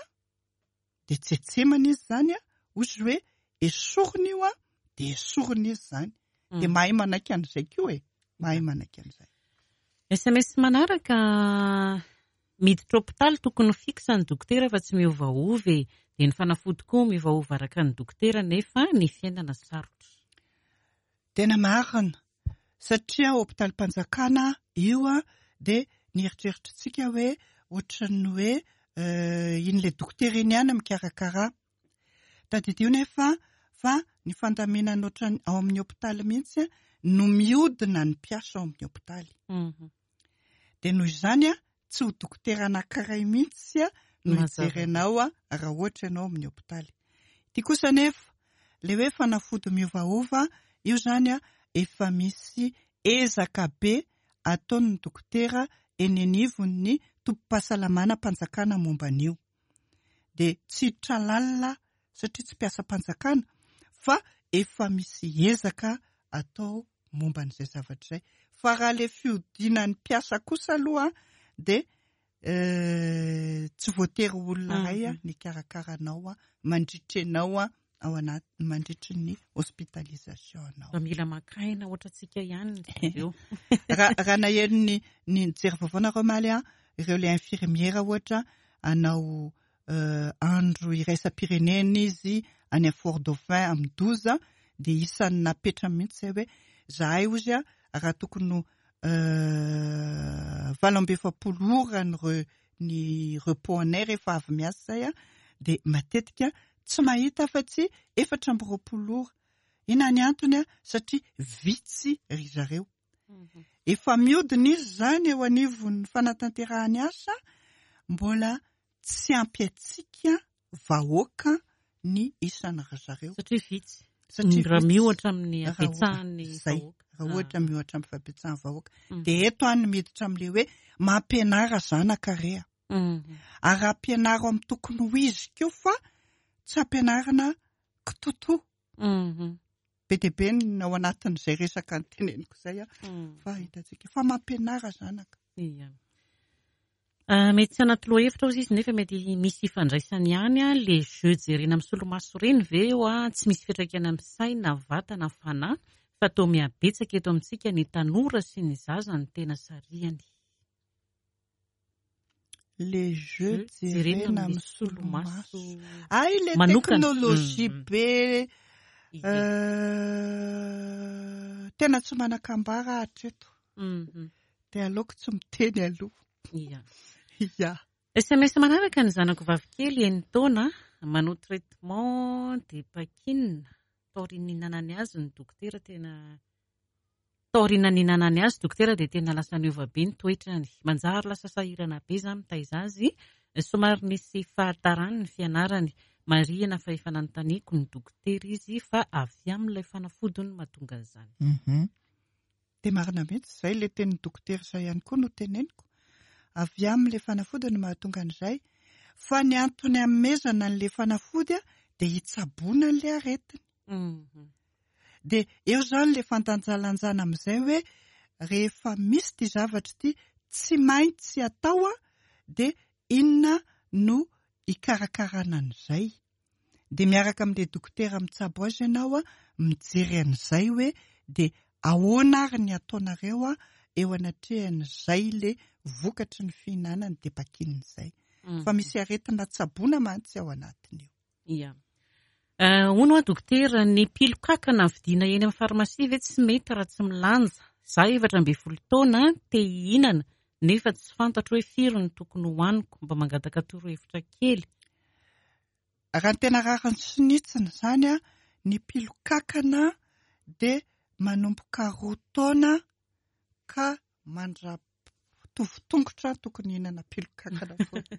dia tsetsemana izy izany, hozy izy hoe esorina io, dia esorina izy izany. Dia mahay manaiky an'izay koa e, mahay manaiky an'izay. SMS manaraka, Miditra hopitaly tokony ho fixe ny dokotera fa tsy miovaova e! Dia ny fanafody koa miovaova araka ny dokotera nefa ny fiainana sarotra. Tena marina, satria hopitalim-panjakana io dia ny eritreritritsika hoe ohatran'ny hoe iny ilay dokotera iny ihany mikarakara. Tadidio nefa fa ny fandaminana ohatran'ny ao amin'ny hopitaly mihitsy no miodina ny mpiasa ao amin'ny hopitaly. Dia noho izany tsy ho dokotera anankiray mihitsy no hijery anao raha ohatra ianao amin'ny hopitaly. Ity kosa anefa, ilay hoe fanafody miovaova, io izany efa misy ezaka be ataon'ny dokotera eny anivon'ny tobim-pahasalamana-panjakana momba an'io. Dia tsy hiditra lalina satria tsy mpiasam-panjakana fa efa misy ezaka atao momba an'izay zavatra izay. Fa raha ilay fihodinan'ny mpiasa kosa aloha dia tsy voatery ho olona iray ny hikarakara anao mandritra ianao ao anaty mandritry ny hospitalisation anao. Mba mila maka aina ohatrantsika ihany ry zareo. Raha raha naheno ny ny nijery vaovao nareo omaly ireo ilay infirmiera ohatra hanao andro iraisam-pirenena izy any Fort Dauphin amin'ny 12 dia isan'ny napetrany mihitsy izay hoe zahay hozy raha tokony ho 48 ora ny re, ny repos anay rehefa avy miasa izay dia matetika tsy mahita afa-tsy 24 ora. Inona ny antony? Satria vitsy ry zareo. Efa miodina izy izany eo anivon'ny fanatanterahany asa, mbola tsy ampy antsika vahoaka ny isan'ny ry zareo. Satria vitsy. Satria raha miohatra amin'ny habetsahan'ny vahoaka. Raha ohatra miohatra amin'ny habetsahan'ny vahoaka. Dia eto aho no miditra amin'ilay hoe mampianara zanaka re a. Ary ampianaro amin'ny tokony ho izy koa fa tsy ampianarina kitotoa. Be dia be ny ao anatin'izay resaka noteneniko izay fa hitantsika fa mampianara zanaka. Ia. Mety tsy anaty lohahevitra ozy izy nefa mety misy ifandraisany ihany a, le jeu jerena amin'ny solomaso ireny ve oa tsy misy fiantraikany amin'ny saina, vatana, fanahy fa toa mihabetsaka eto amintsika ny tanora sy ny zaza no tena sarihany. Le jeu jerena amin'ny solomaso. Hay le technologie be tena tsy manan-kambara hatreto. Dia aleoko tsy miteny aloha. Ia. Ia. SMS manaraka ny zanako vavikely enin-taona manao traitement depakine taorian'ny nihinanany azy ny dokotera tena Taoriana nihinanany azy dokotera dia tena lasa niova be ny toetrany. Manjary lasa sahirana be za mitaiza azy. Somary nisy fahatarany ny fianarany. Marihina fa efa nanontaniako ny dokotera izy fa avy amin'ilay fanafody no mahatonga an'izany. Dia marina mihitsy izay, ilay tenin'ny dokotera izay ihany koa no teneniko. Avy amin'ilay fanafody no mahatonga an'izay. Fa ny antony hanomezana an'ilay fanafody dia hitsaboana an'ilay aretina. Dia eo izany ilay fandanjalanjana amin'izay hoe rehefa misy ity zavatra ity tsy maintsy atao dia inona no hikarakarana an'izay. Dia miaraka amin'ilay dokotera mitsabo azy ianao mijery an'izay hoe dia ahoana ary ny ataonareo eo anatrehan'izay ilay vokatry ny fihinanany depakine izay. Fa misy aretina tsaboina mantsy ao anatin'io. Ia. Hono hoa dokotera, ny pilokakana vidiana eny amin'ny farmasia ve tsy mety raha tsy milanja? Za 14 taona te hihinana nefa tsy fantatro hoe firy no tokony hohaniko, mba mangataka torohevitra kely. Raha ny tena rariny sy ny hitsiny izany, ny pilokakana dia manomboka roa taona ka mandra Mitovy tongotra tokony hihinana pilokakana foana.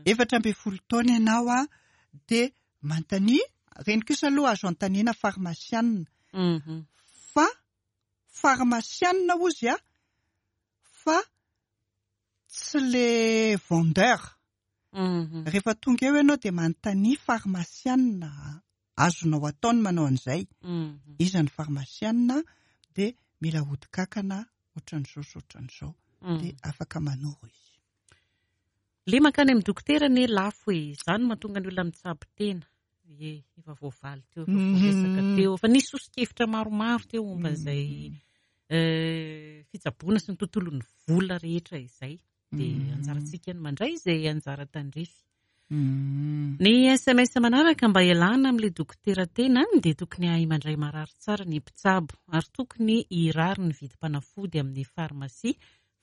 14 taona ianao a, dia manontania, ireny kosa aloha azo anontaniana farmasianina. Fa farmasianina hozy a, fa tsy le vendeur. Rehefa tonga eo ianao dia manontania farmasianina, azonao atao ny manao an'izay. Iza ny farmasianina dia mila ody kankana ohatran'izao sy ohatran'izao. Dia afaka manoro izy. Le mankany amin'ny dokotera anie lafo e, izany no mahatonga ny olona mitsabo tena. Ie, efa voavaly teo, efa voaresaka teo, efa nisy soso-kevitra maromaro teo momba an'izay fitsaboana sy ny tontolon'ny vola rehetra izay. Dia anjarantsika ny mandray izay anjara tandrify. Ny SMS manaraka mba hialana amin'ilay dokotera tena dia tokony hahay mandray marary tsara ny mpitsabo ary tokony hirary ny vidim-panafody amin'ny farmasia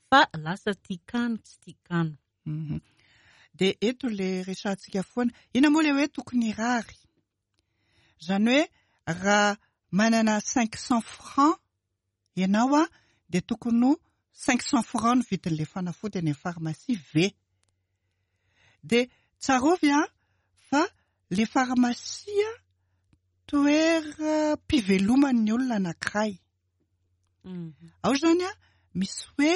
fa lasa tia kano tsy tia kano. Dia eto ilay resahantsika foana. Inona moa ilay hoe tokony hirary? Izany hoe raha manana 500 francs ianao dia tokony ho 500 francs ny vidin'ilay fanafody any amin'ny pharmacie ve? Dia tsarovy fa ilay pharmacie toeram-piveloman'ny olona anankiray. Ao izany misy hoe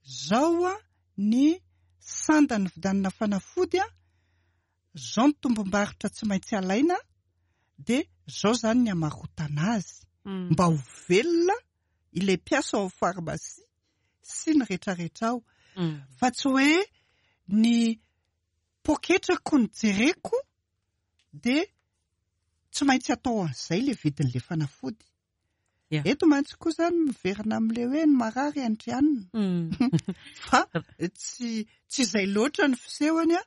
zao ny sandan'ny vidianana fanafody, zao ny tombom-barotra tsy maintsy alaina, dia zao izany ny hamarotana azy mba ho velona ilay mpiasa ao amin'ny pharmacie sy ny rehetrarehetra ao. Fa tsy hoe ny poketrako no jereko dia tsy maintsy atao an'izay ilay vidin'ilay fanafody. Eto mantsy koa izany miverina amin'ilay hoe ny marary andrianina. Fa tsy tsy izay loatra ny fisehony an,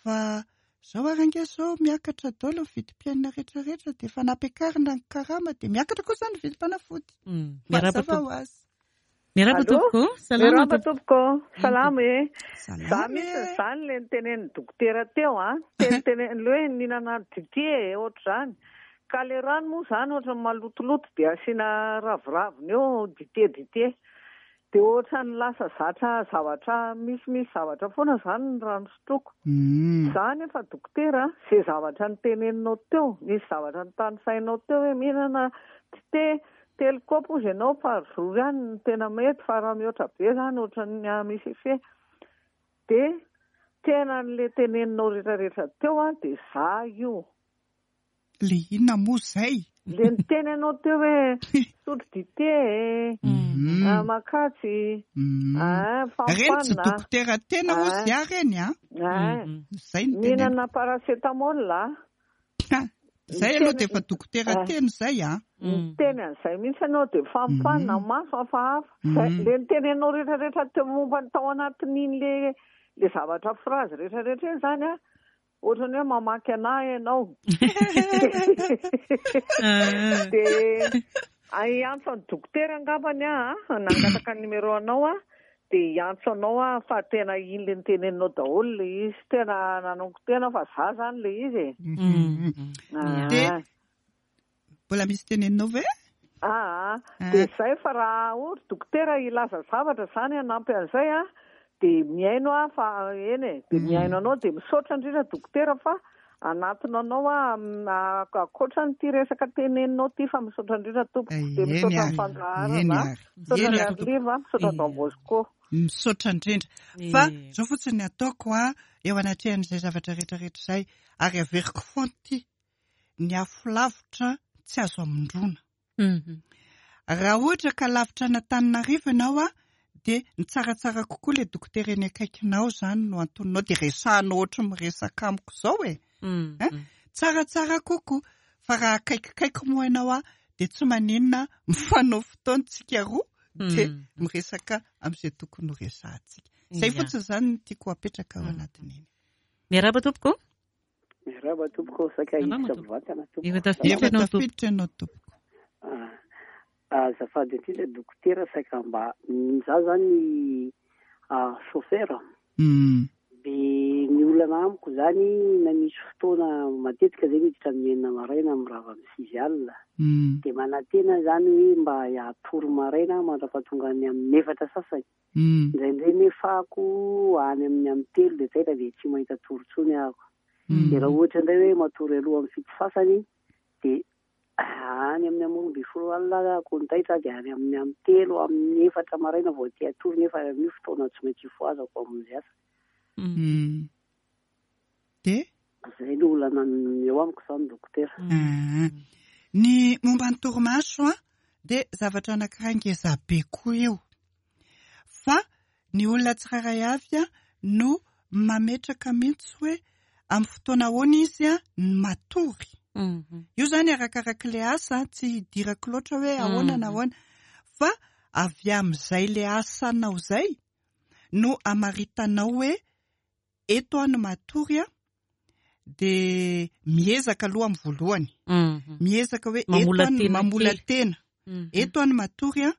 fa izao ary ange izao miakatra daholo ny vidim-piainana rehetrarehetra dia efa nampiakarina ny karama dia miakatra koa izany ny vidim-panafody. Miarahaba Mazava ho azy. Miarahaba tompoko. Salama Miarahaba tompoko. Salama e. Za mihitsy izany le nitenenin'ny dokotera teo a. Teniteneny le hoe nihinana dite e, ohatr'izany. Ka le rano moa izany ohatran'ny malotoloto dia asiana raviraviny eo dite dite. Dia ohatran'ny lasa zatra zavatra misimisy zavatra foana izany ny rano sotroiko. Za nefa dokotera a, ze zavatra niteneninao teo, nisy zavatra notanisainao teo hoe mihinana dite Telo kaopy hozy ianao par jour ihany no tena mety fa raha mihoatra be zany ohatran'ny misy effet. De tena an'le teneninao retraretra teo an de za io. Le inona moa zay? Le niteny ianao teo hoe misotro dite e, makatsy, Reny tsy fampanina. dokotera tena hozy aho reny an. Zay no teneniko. Mihinana paracetamol a. Ka, zay aloha dia efa dokotera teny zay a. Niteny an'izay mihitsy ianao dia fampanina maso hafahafa. Zay, le niteny anao rehetrarehetra teo momba ny tao anatin'iny le le zavatra phrase rehetrarehetra iny zany a, ohatran'ny hoe mamaky anah ianao. Dia hiantso an'i dokotera angambany aho a, nangataka ny numéro anao aho Dia hiantso anao aho fa tena iny le noteneninao daholo le izy. Tena nanongo tena fa za zany le izy e. Dia mbola misy teneninao ve? Aa, dia zay fa raha ohatra dokotera hilaza zavatra zany hanampy an'izay an, dia mihaino aho fa eny e, dia mihaino anao dia misaotra indrindra dokotera fa hanatona anao aho ankoatra an'ity resaka teneninao ity fa misaotra indrindra tompoko dia misaotra ny fandaharana misaotra an'i Arliva misaotra Don Bosco. Misaotra indrindra fa zao fotsiny ny ataoko a eo anatrehan'izay zavatra rehetra rehetra izay ary averiko foana ity ny afo lavitra tsy azo amindroana. Raha ohatra ka lavitra an'Antananarivo ianao a, dia ny tsaratsara kokoa ilay dokotera eny akaikinao izany no antoninao dia resahanao ohatry ny miresaka amiko izao e. Hein? Tsaratsara kokoa. Fa raha akaikikaiky moa ianao a, dia tsy maninona mifanao fotoana tsika roa dia miresaka amin'izay tokony ho resahantsika. Izay fotsiny izany no tiako hapetraka ao anatin'iny. Miarahaba tompoko. Miarahaba tompoko, saika hiditra mivantana tompoko. Efa tafiditra ianao tompoko. Ianao tompoko. Azafady indrindra dokotera saika mba za zany chauffeur. De ny olana amiko zany na misy fotoana matetika zay miditra amin'ny enina maraina mirava amin'ny sivy alina. De manantena zany hoe mba hatory maraina mandra-pahatongan'ny amin'ny efatra sasany. Indraindray nefa ako any amin'ny amin'ny telo dia taitra dia tsy mahita tory intsony aho. Dia raha ohatra indray hoe matory aloha amin'ny fito sasany dia any amin'ny amin'ny 12 alina ako no taitra dia any amin'ny amin'ny telo amin'ny efatra maraina vao te hatory nefa amin'io fotoana tsy maintsy hifohazako hamonjy asa. Dia? Izay no olana eo amiko izany dokotera. Ny momba ny torimaso an, dia zavatra anankiray ngeza be koa io. Fa ny olona tsirairay avy an no mametraka mihitsy hoe amin'ny fotoana ahoana izy an no matory. Io izany arakarak'ilay asa, tsy idirako loatra hoe ahoana na ahoana. Fa avy amin'izay ilay asanao izay no amaritanao hoe eto aho no matory an, dia miezaka aloha amin'ny voalohany. Miezaka hoe eto aho no mamola tena. Eto aho no matory an,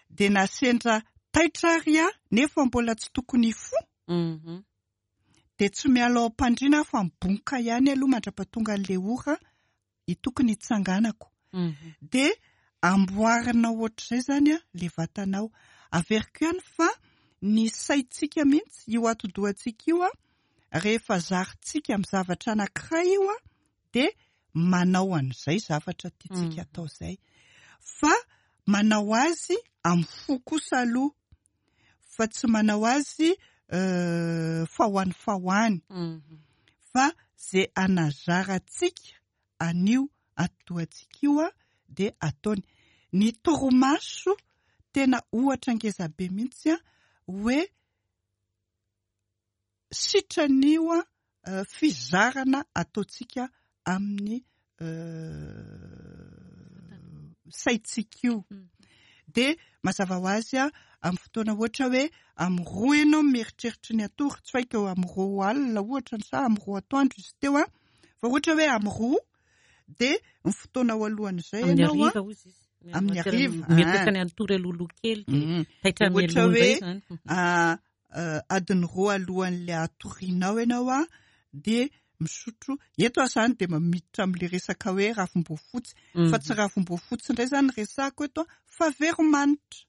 dia na sendra taitra ary aho nefa mbola tsy tokony hifoha, dia tsy miala ao am-pandriana aho fa mibonka ihany aloha mandra-pahatonga an'ilay ora tokony hitsanganako. Dia amboarinao ohatr'izay izany an, ilay vatanao. Averiko ihany fa ny saintsika mihitsy, io atidohantsika io an, rehefa zarintsika amin'ny zavatra anankiray io an, dia manao an'izay zavatra tiantsika atao izay. Fa manao azy amin'ny fo kosa aloha, fa tsy manao azy fa ho any fa ho any. Fa izay anazarantsika an'io atidohantsika io dia ataony. Ny torimaso tena ohatra ngeza be mihitsy hoe sitran'io fizarana ataontsika amin'ny saintsika io. Dia mazava ho azy amin'ny fotoana ohatra hoe amin'ny roa ianao mieritreritra ny hatory, tsy haiko amin'ny roa alina ohatra sa amin'ny roa atoandro izy teo an, fa ohatra hoe amin'ny roa dia ny fotoana ao alohan'izay ianao an, amin'ny hariva, mieritreritra ny hatory alohaloha kely dia taitra mialoha indray izany. Adiny roa alohan'ilay hatorianao ianao an, dia misotro, eto aho izany dia miditra amin'ilay resaka hoe ravim-boafotsy, fa tsy ravim-boafotsy indray izany no resahako eto an, fa veromanitra.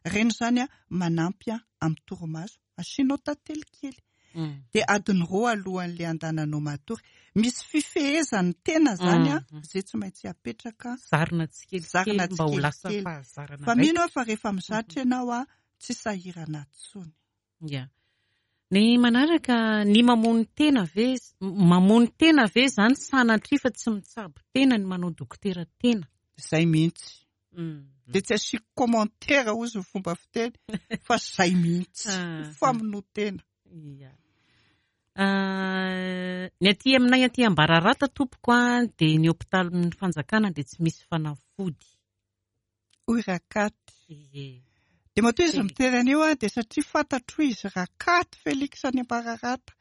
Ireny izany an, manampy amin'ny torimaso, asianao tantely kely. Dia adiny roa alohan'ilay andananao matory. Misy fifehezan'ny tena izany an, izay tsy maintsy apetraka. Zarina tsikelikely mba ho lasa fahazarana. Fa mino aho fa rehefa mizatra ianao an, tsy sahirana tsony. Ya. Ny manaraka, ny mamono tena ve, mamono tena ve zany sanatria fa tsy mitsabo tena ny manao dokotera tena? Zay mihitsy. Dia tsy asiako commentaire hozy ny fomba fiteny fa zay mihitsy. Famonoan-tena. Ya. Ny aty aminay aty Ambararata tompoko a, dia ny hopitalin'ny fanjakana dia tsy misy fanafody. Hoy Rakaty. Ie. Dia matoa izy miteny an'io an, dia satria fantatro izy Rakaty Felix any Ambararata.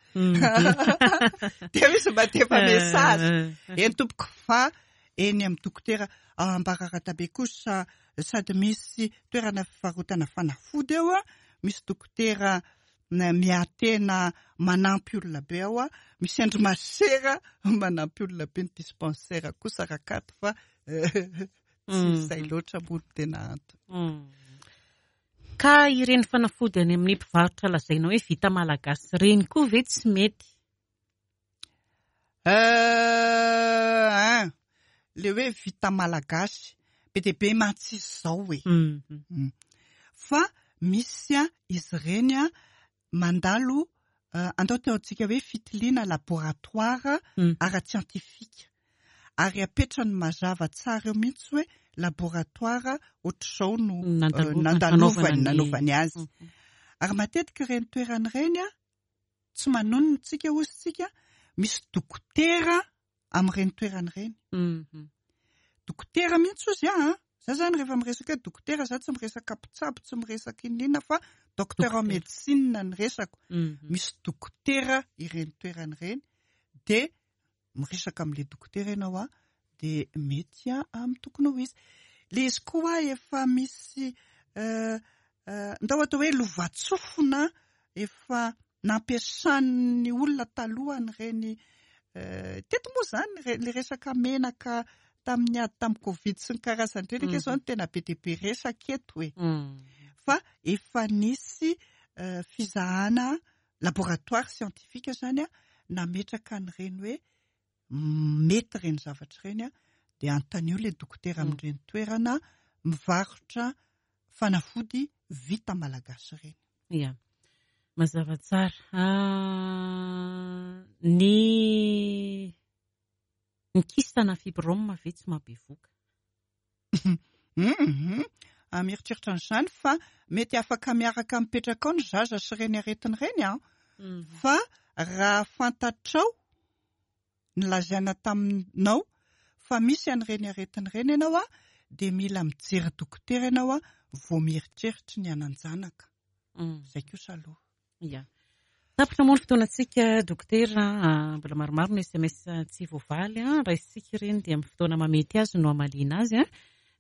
Dia izy mandefa message. Eny tompoko fa eny amin'ny dokotera ao Ambararata be kosa sady misy toerana fivarotana fanafody eo an, misy dokotera miahy tena manampy olona be ao an, misy andry masera manampy olona be ny dispensaire kosa Rakaty fa Tsy izay loatra moa no tena antony. Ka ireny fanafody any amin'ny mpivarotra lazaina hoe vita malagasy ireny koa ve tsy mety? Euh, ein, le hoe vita malagasy, be dia be mantsy izy izao e. Fa misy izy ireny mandalo andao ataontsika hoe fitiliana laboratoire ara-tsiantifika ary apetrany mazava tsara eo mihitsy hoe laboratoire ohatr'izao no nandalovany nanaovany azy. Ary matetika ireny toerana ireny tsy manonona tsika hozy tsika misy dokotera amin'ireny toerana ireny. Dokotera mihitsy ozy aho an! Za zany rehefa miresaka hoe dokotera za tsy miresaka mpitsabo, tsy miresaka inona inona fa docteur en médecine ny resako. Misy dokotera ireny toerana ireny dia miresaka amin'ilay dokotera ianao an, dia mety amin'ny tokony ho izy. Ilay izy koa efa misy ndao atao hoe lovantsofina efa nampiasan'ny olona taloha an'ireny teto moa izany ilay resaka menaka tamin'ny ady tamin'ny covid sy ny karazany ireny ange izao no tena be dia be resaka eto e. Fa efa nisy fizahana laboratoire scientifique izany nametraka an'ireny hoe mety ireny zavatra ireny dia anontanio ilay dokotera amin'ireny toerana mivarotra fanafody vita malagasy ireny. Ya. Mazava tsara. Ny ny kyste na fibrome ve tsy mahabevoka? Hum mieritreritra an'izany fa mety afaka miaraka mipetraka ao ny zaza sy ireny aretina ireny an! Fa raha fantatrao nilazaina taminao fa misy an'ireny aretina ireny ianao an, dia mila mijery dokotera ianao an vao mieritreritra ny hanan-janaka. Izay kosa aloha. Ya. Tapitra moa ny fotoanantsika dokotera a, mbola maromaro ny sms tsy voavaly a, raisintsika ireny dia amin'ny fotoana mahamety azy no hamaliana azy a.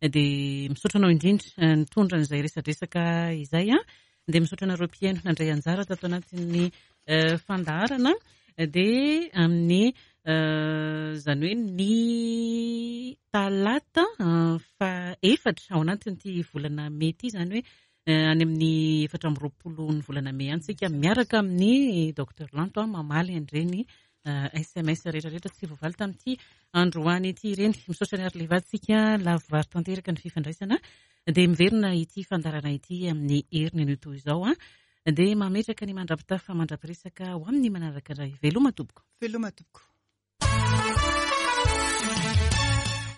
Dia misaotra anao indrindra nitondra an'izay resadresaka izay a. Dia misaotra anareo mpihaino nandray anjara tato anatin'ny fandaharana. Dia amin'ny izany hoe ny talata faha efatra ao anatin'ity volana mey ity izany hoe any amin'ny 24 ny volana mey any tsika miaraka amin'ny Docteur Lanto mamaly an'ireny sms rehetra rehetra tsy voavaly tamin'ity androany ity ireny. Misaotra an'i Arleva tsika lavorary tanteraka ny fifandraisana. Dia miverina ity fandaharana ity amin'ny heriny anio toy izao. Dia mametraka ny mandra-pitafa mandra-piresaka ho amin'ny manaraka indray. Veloma tompoko. Veloma tompoko.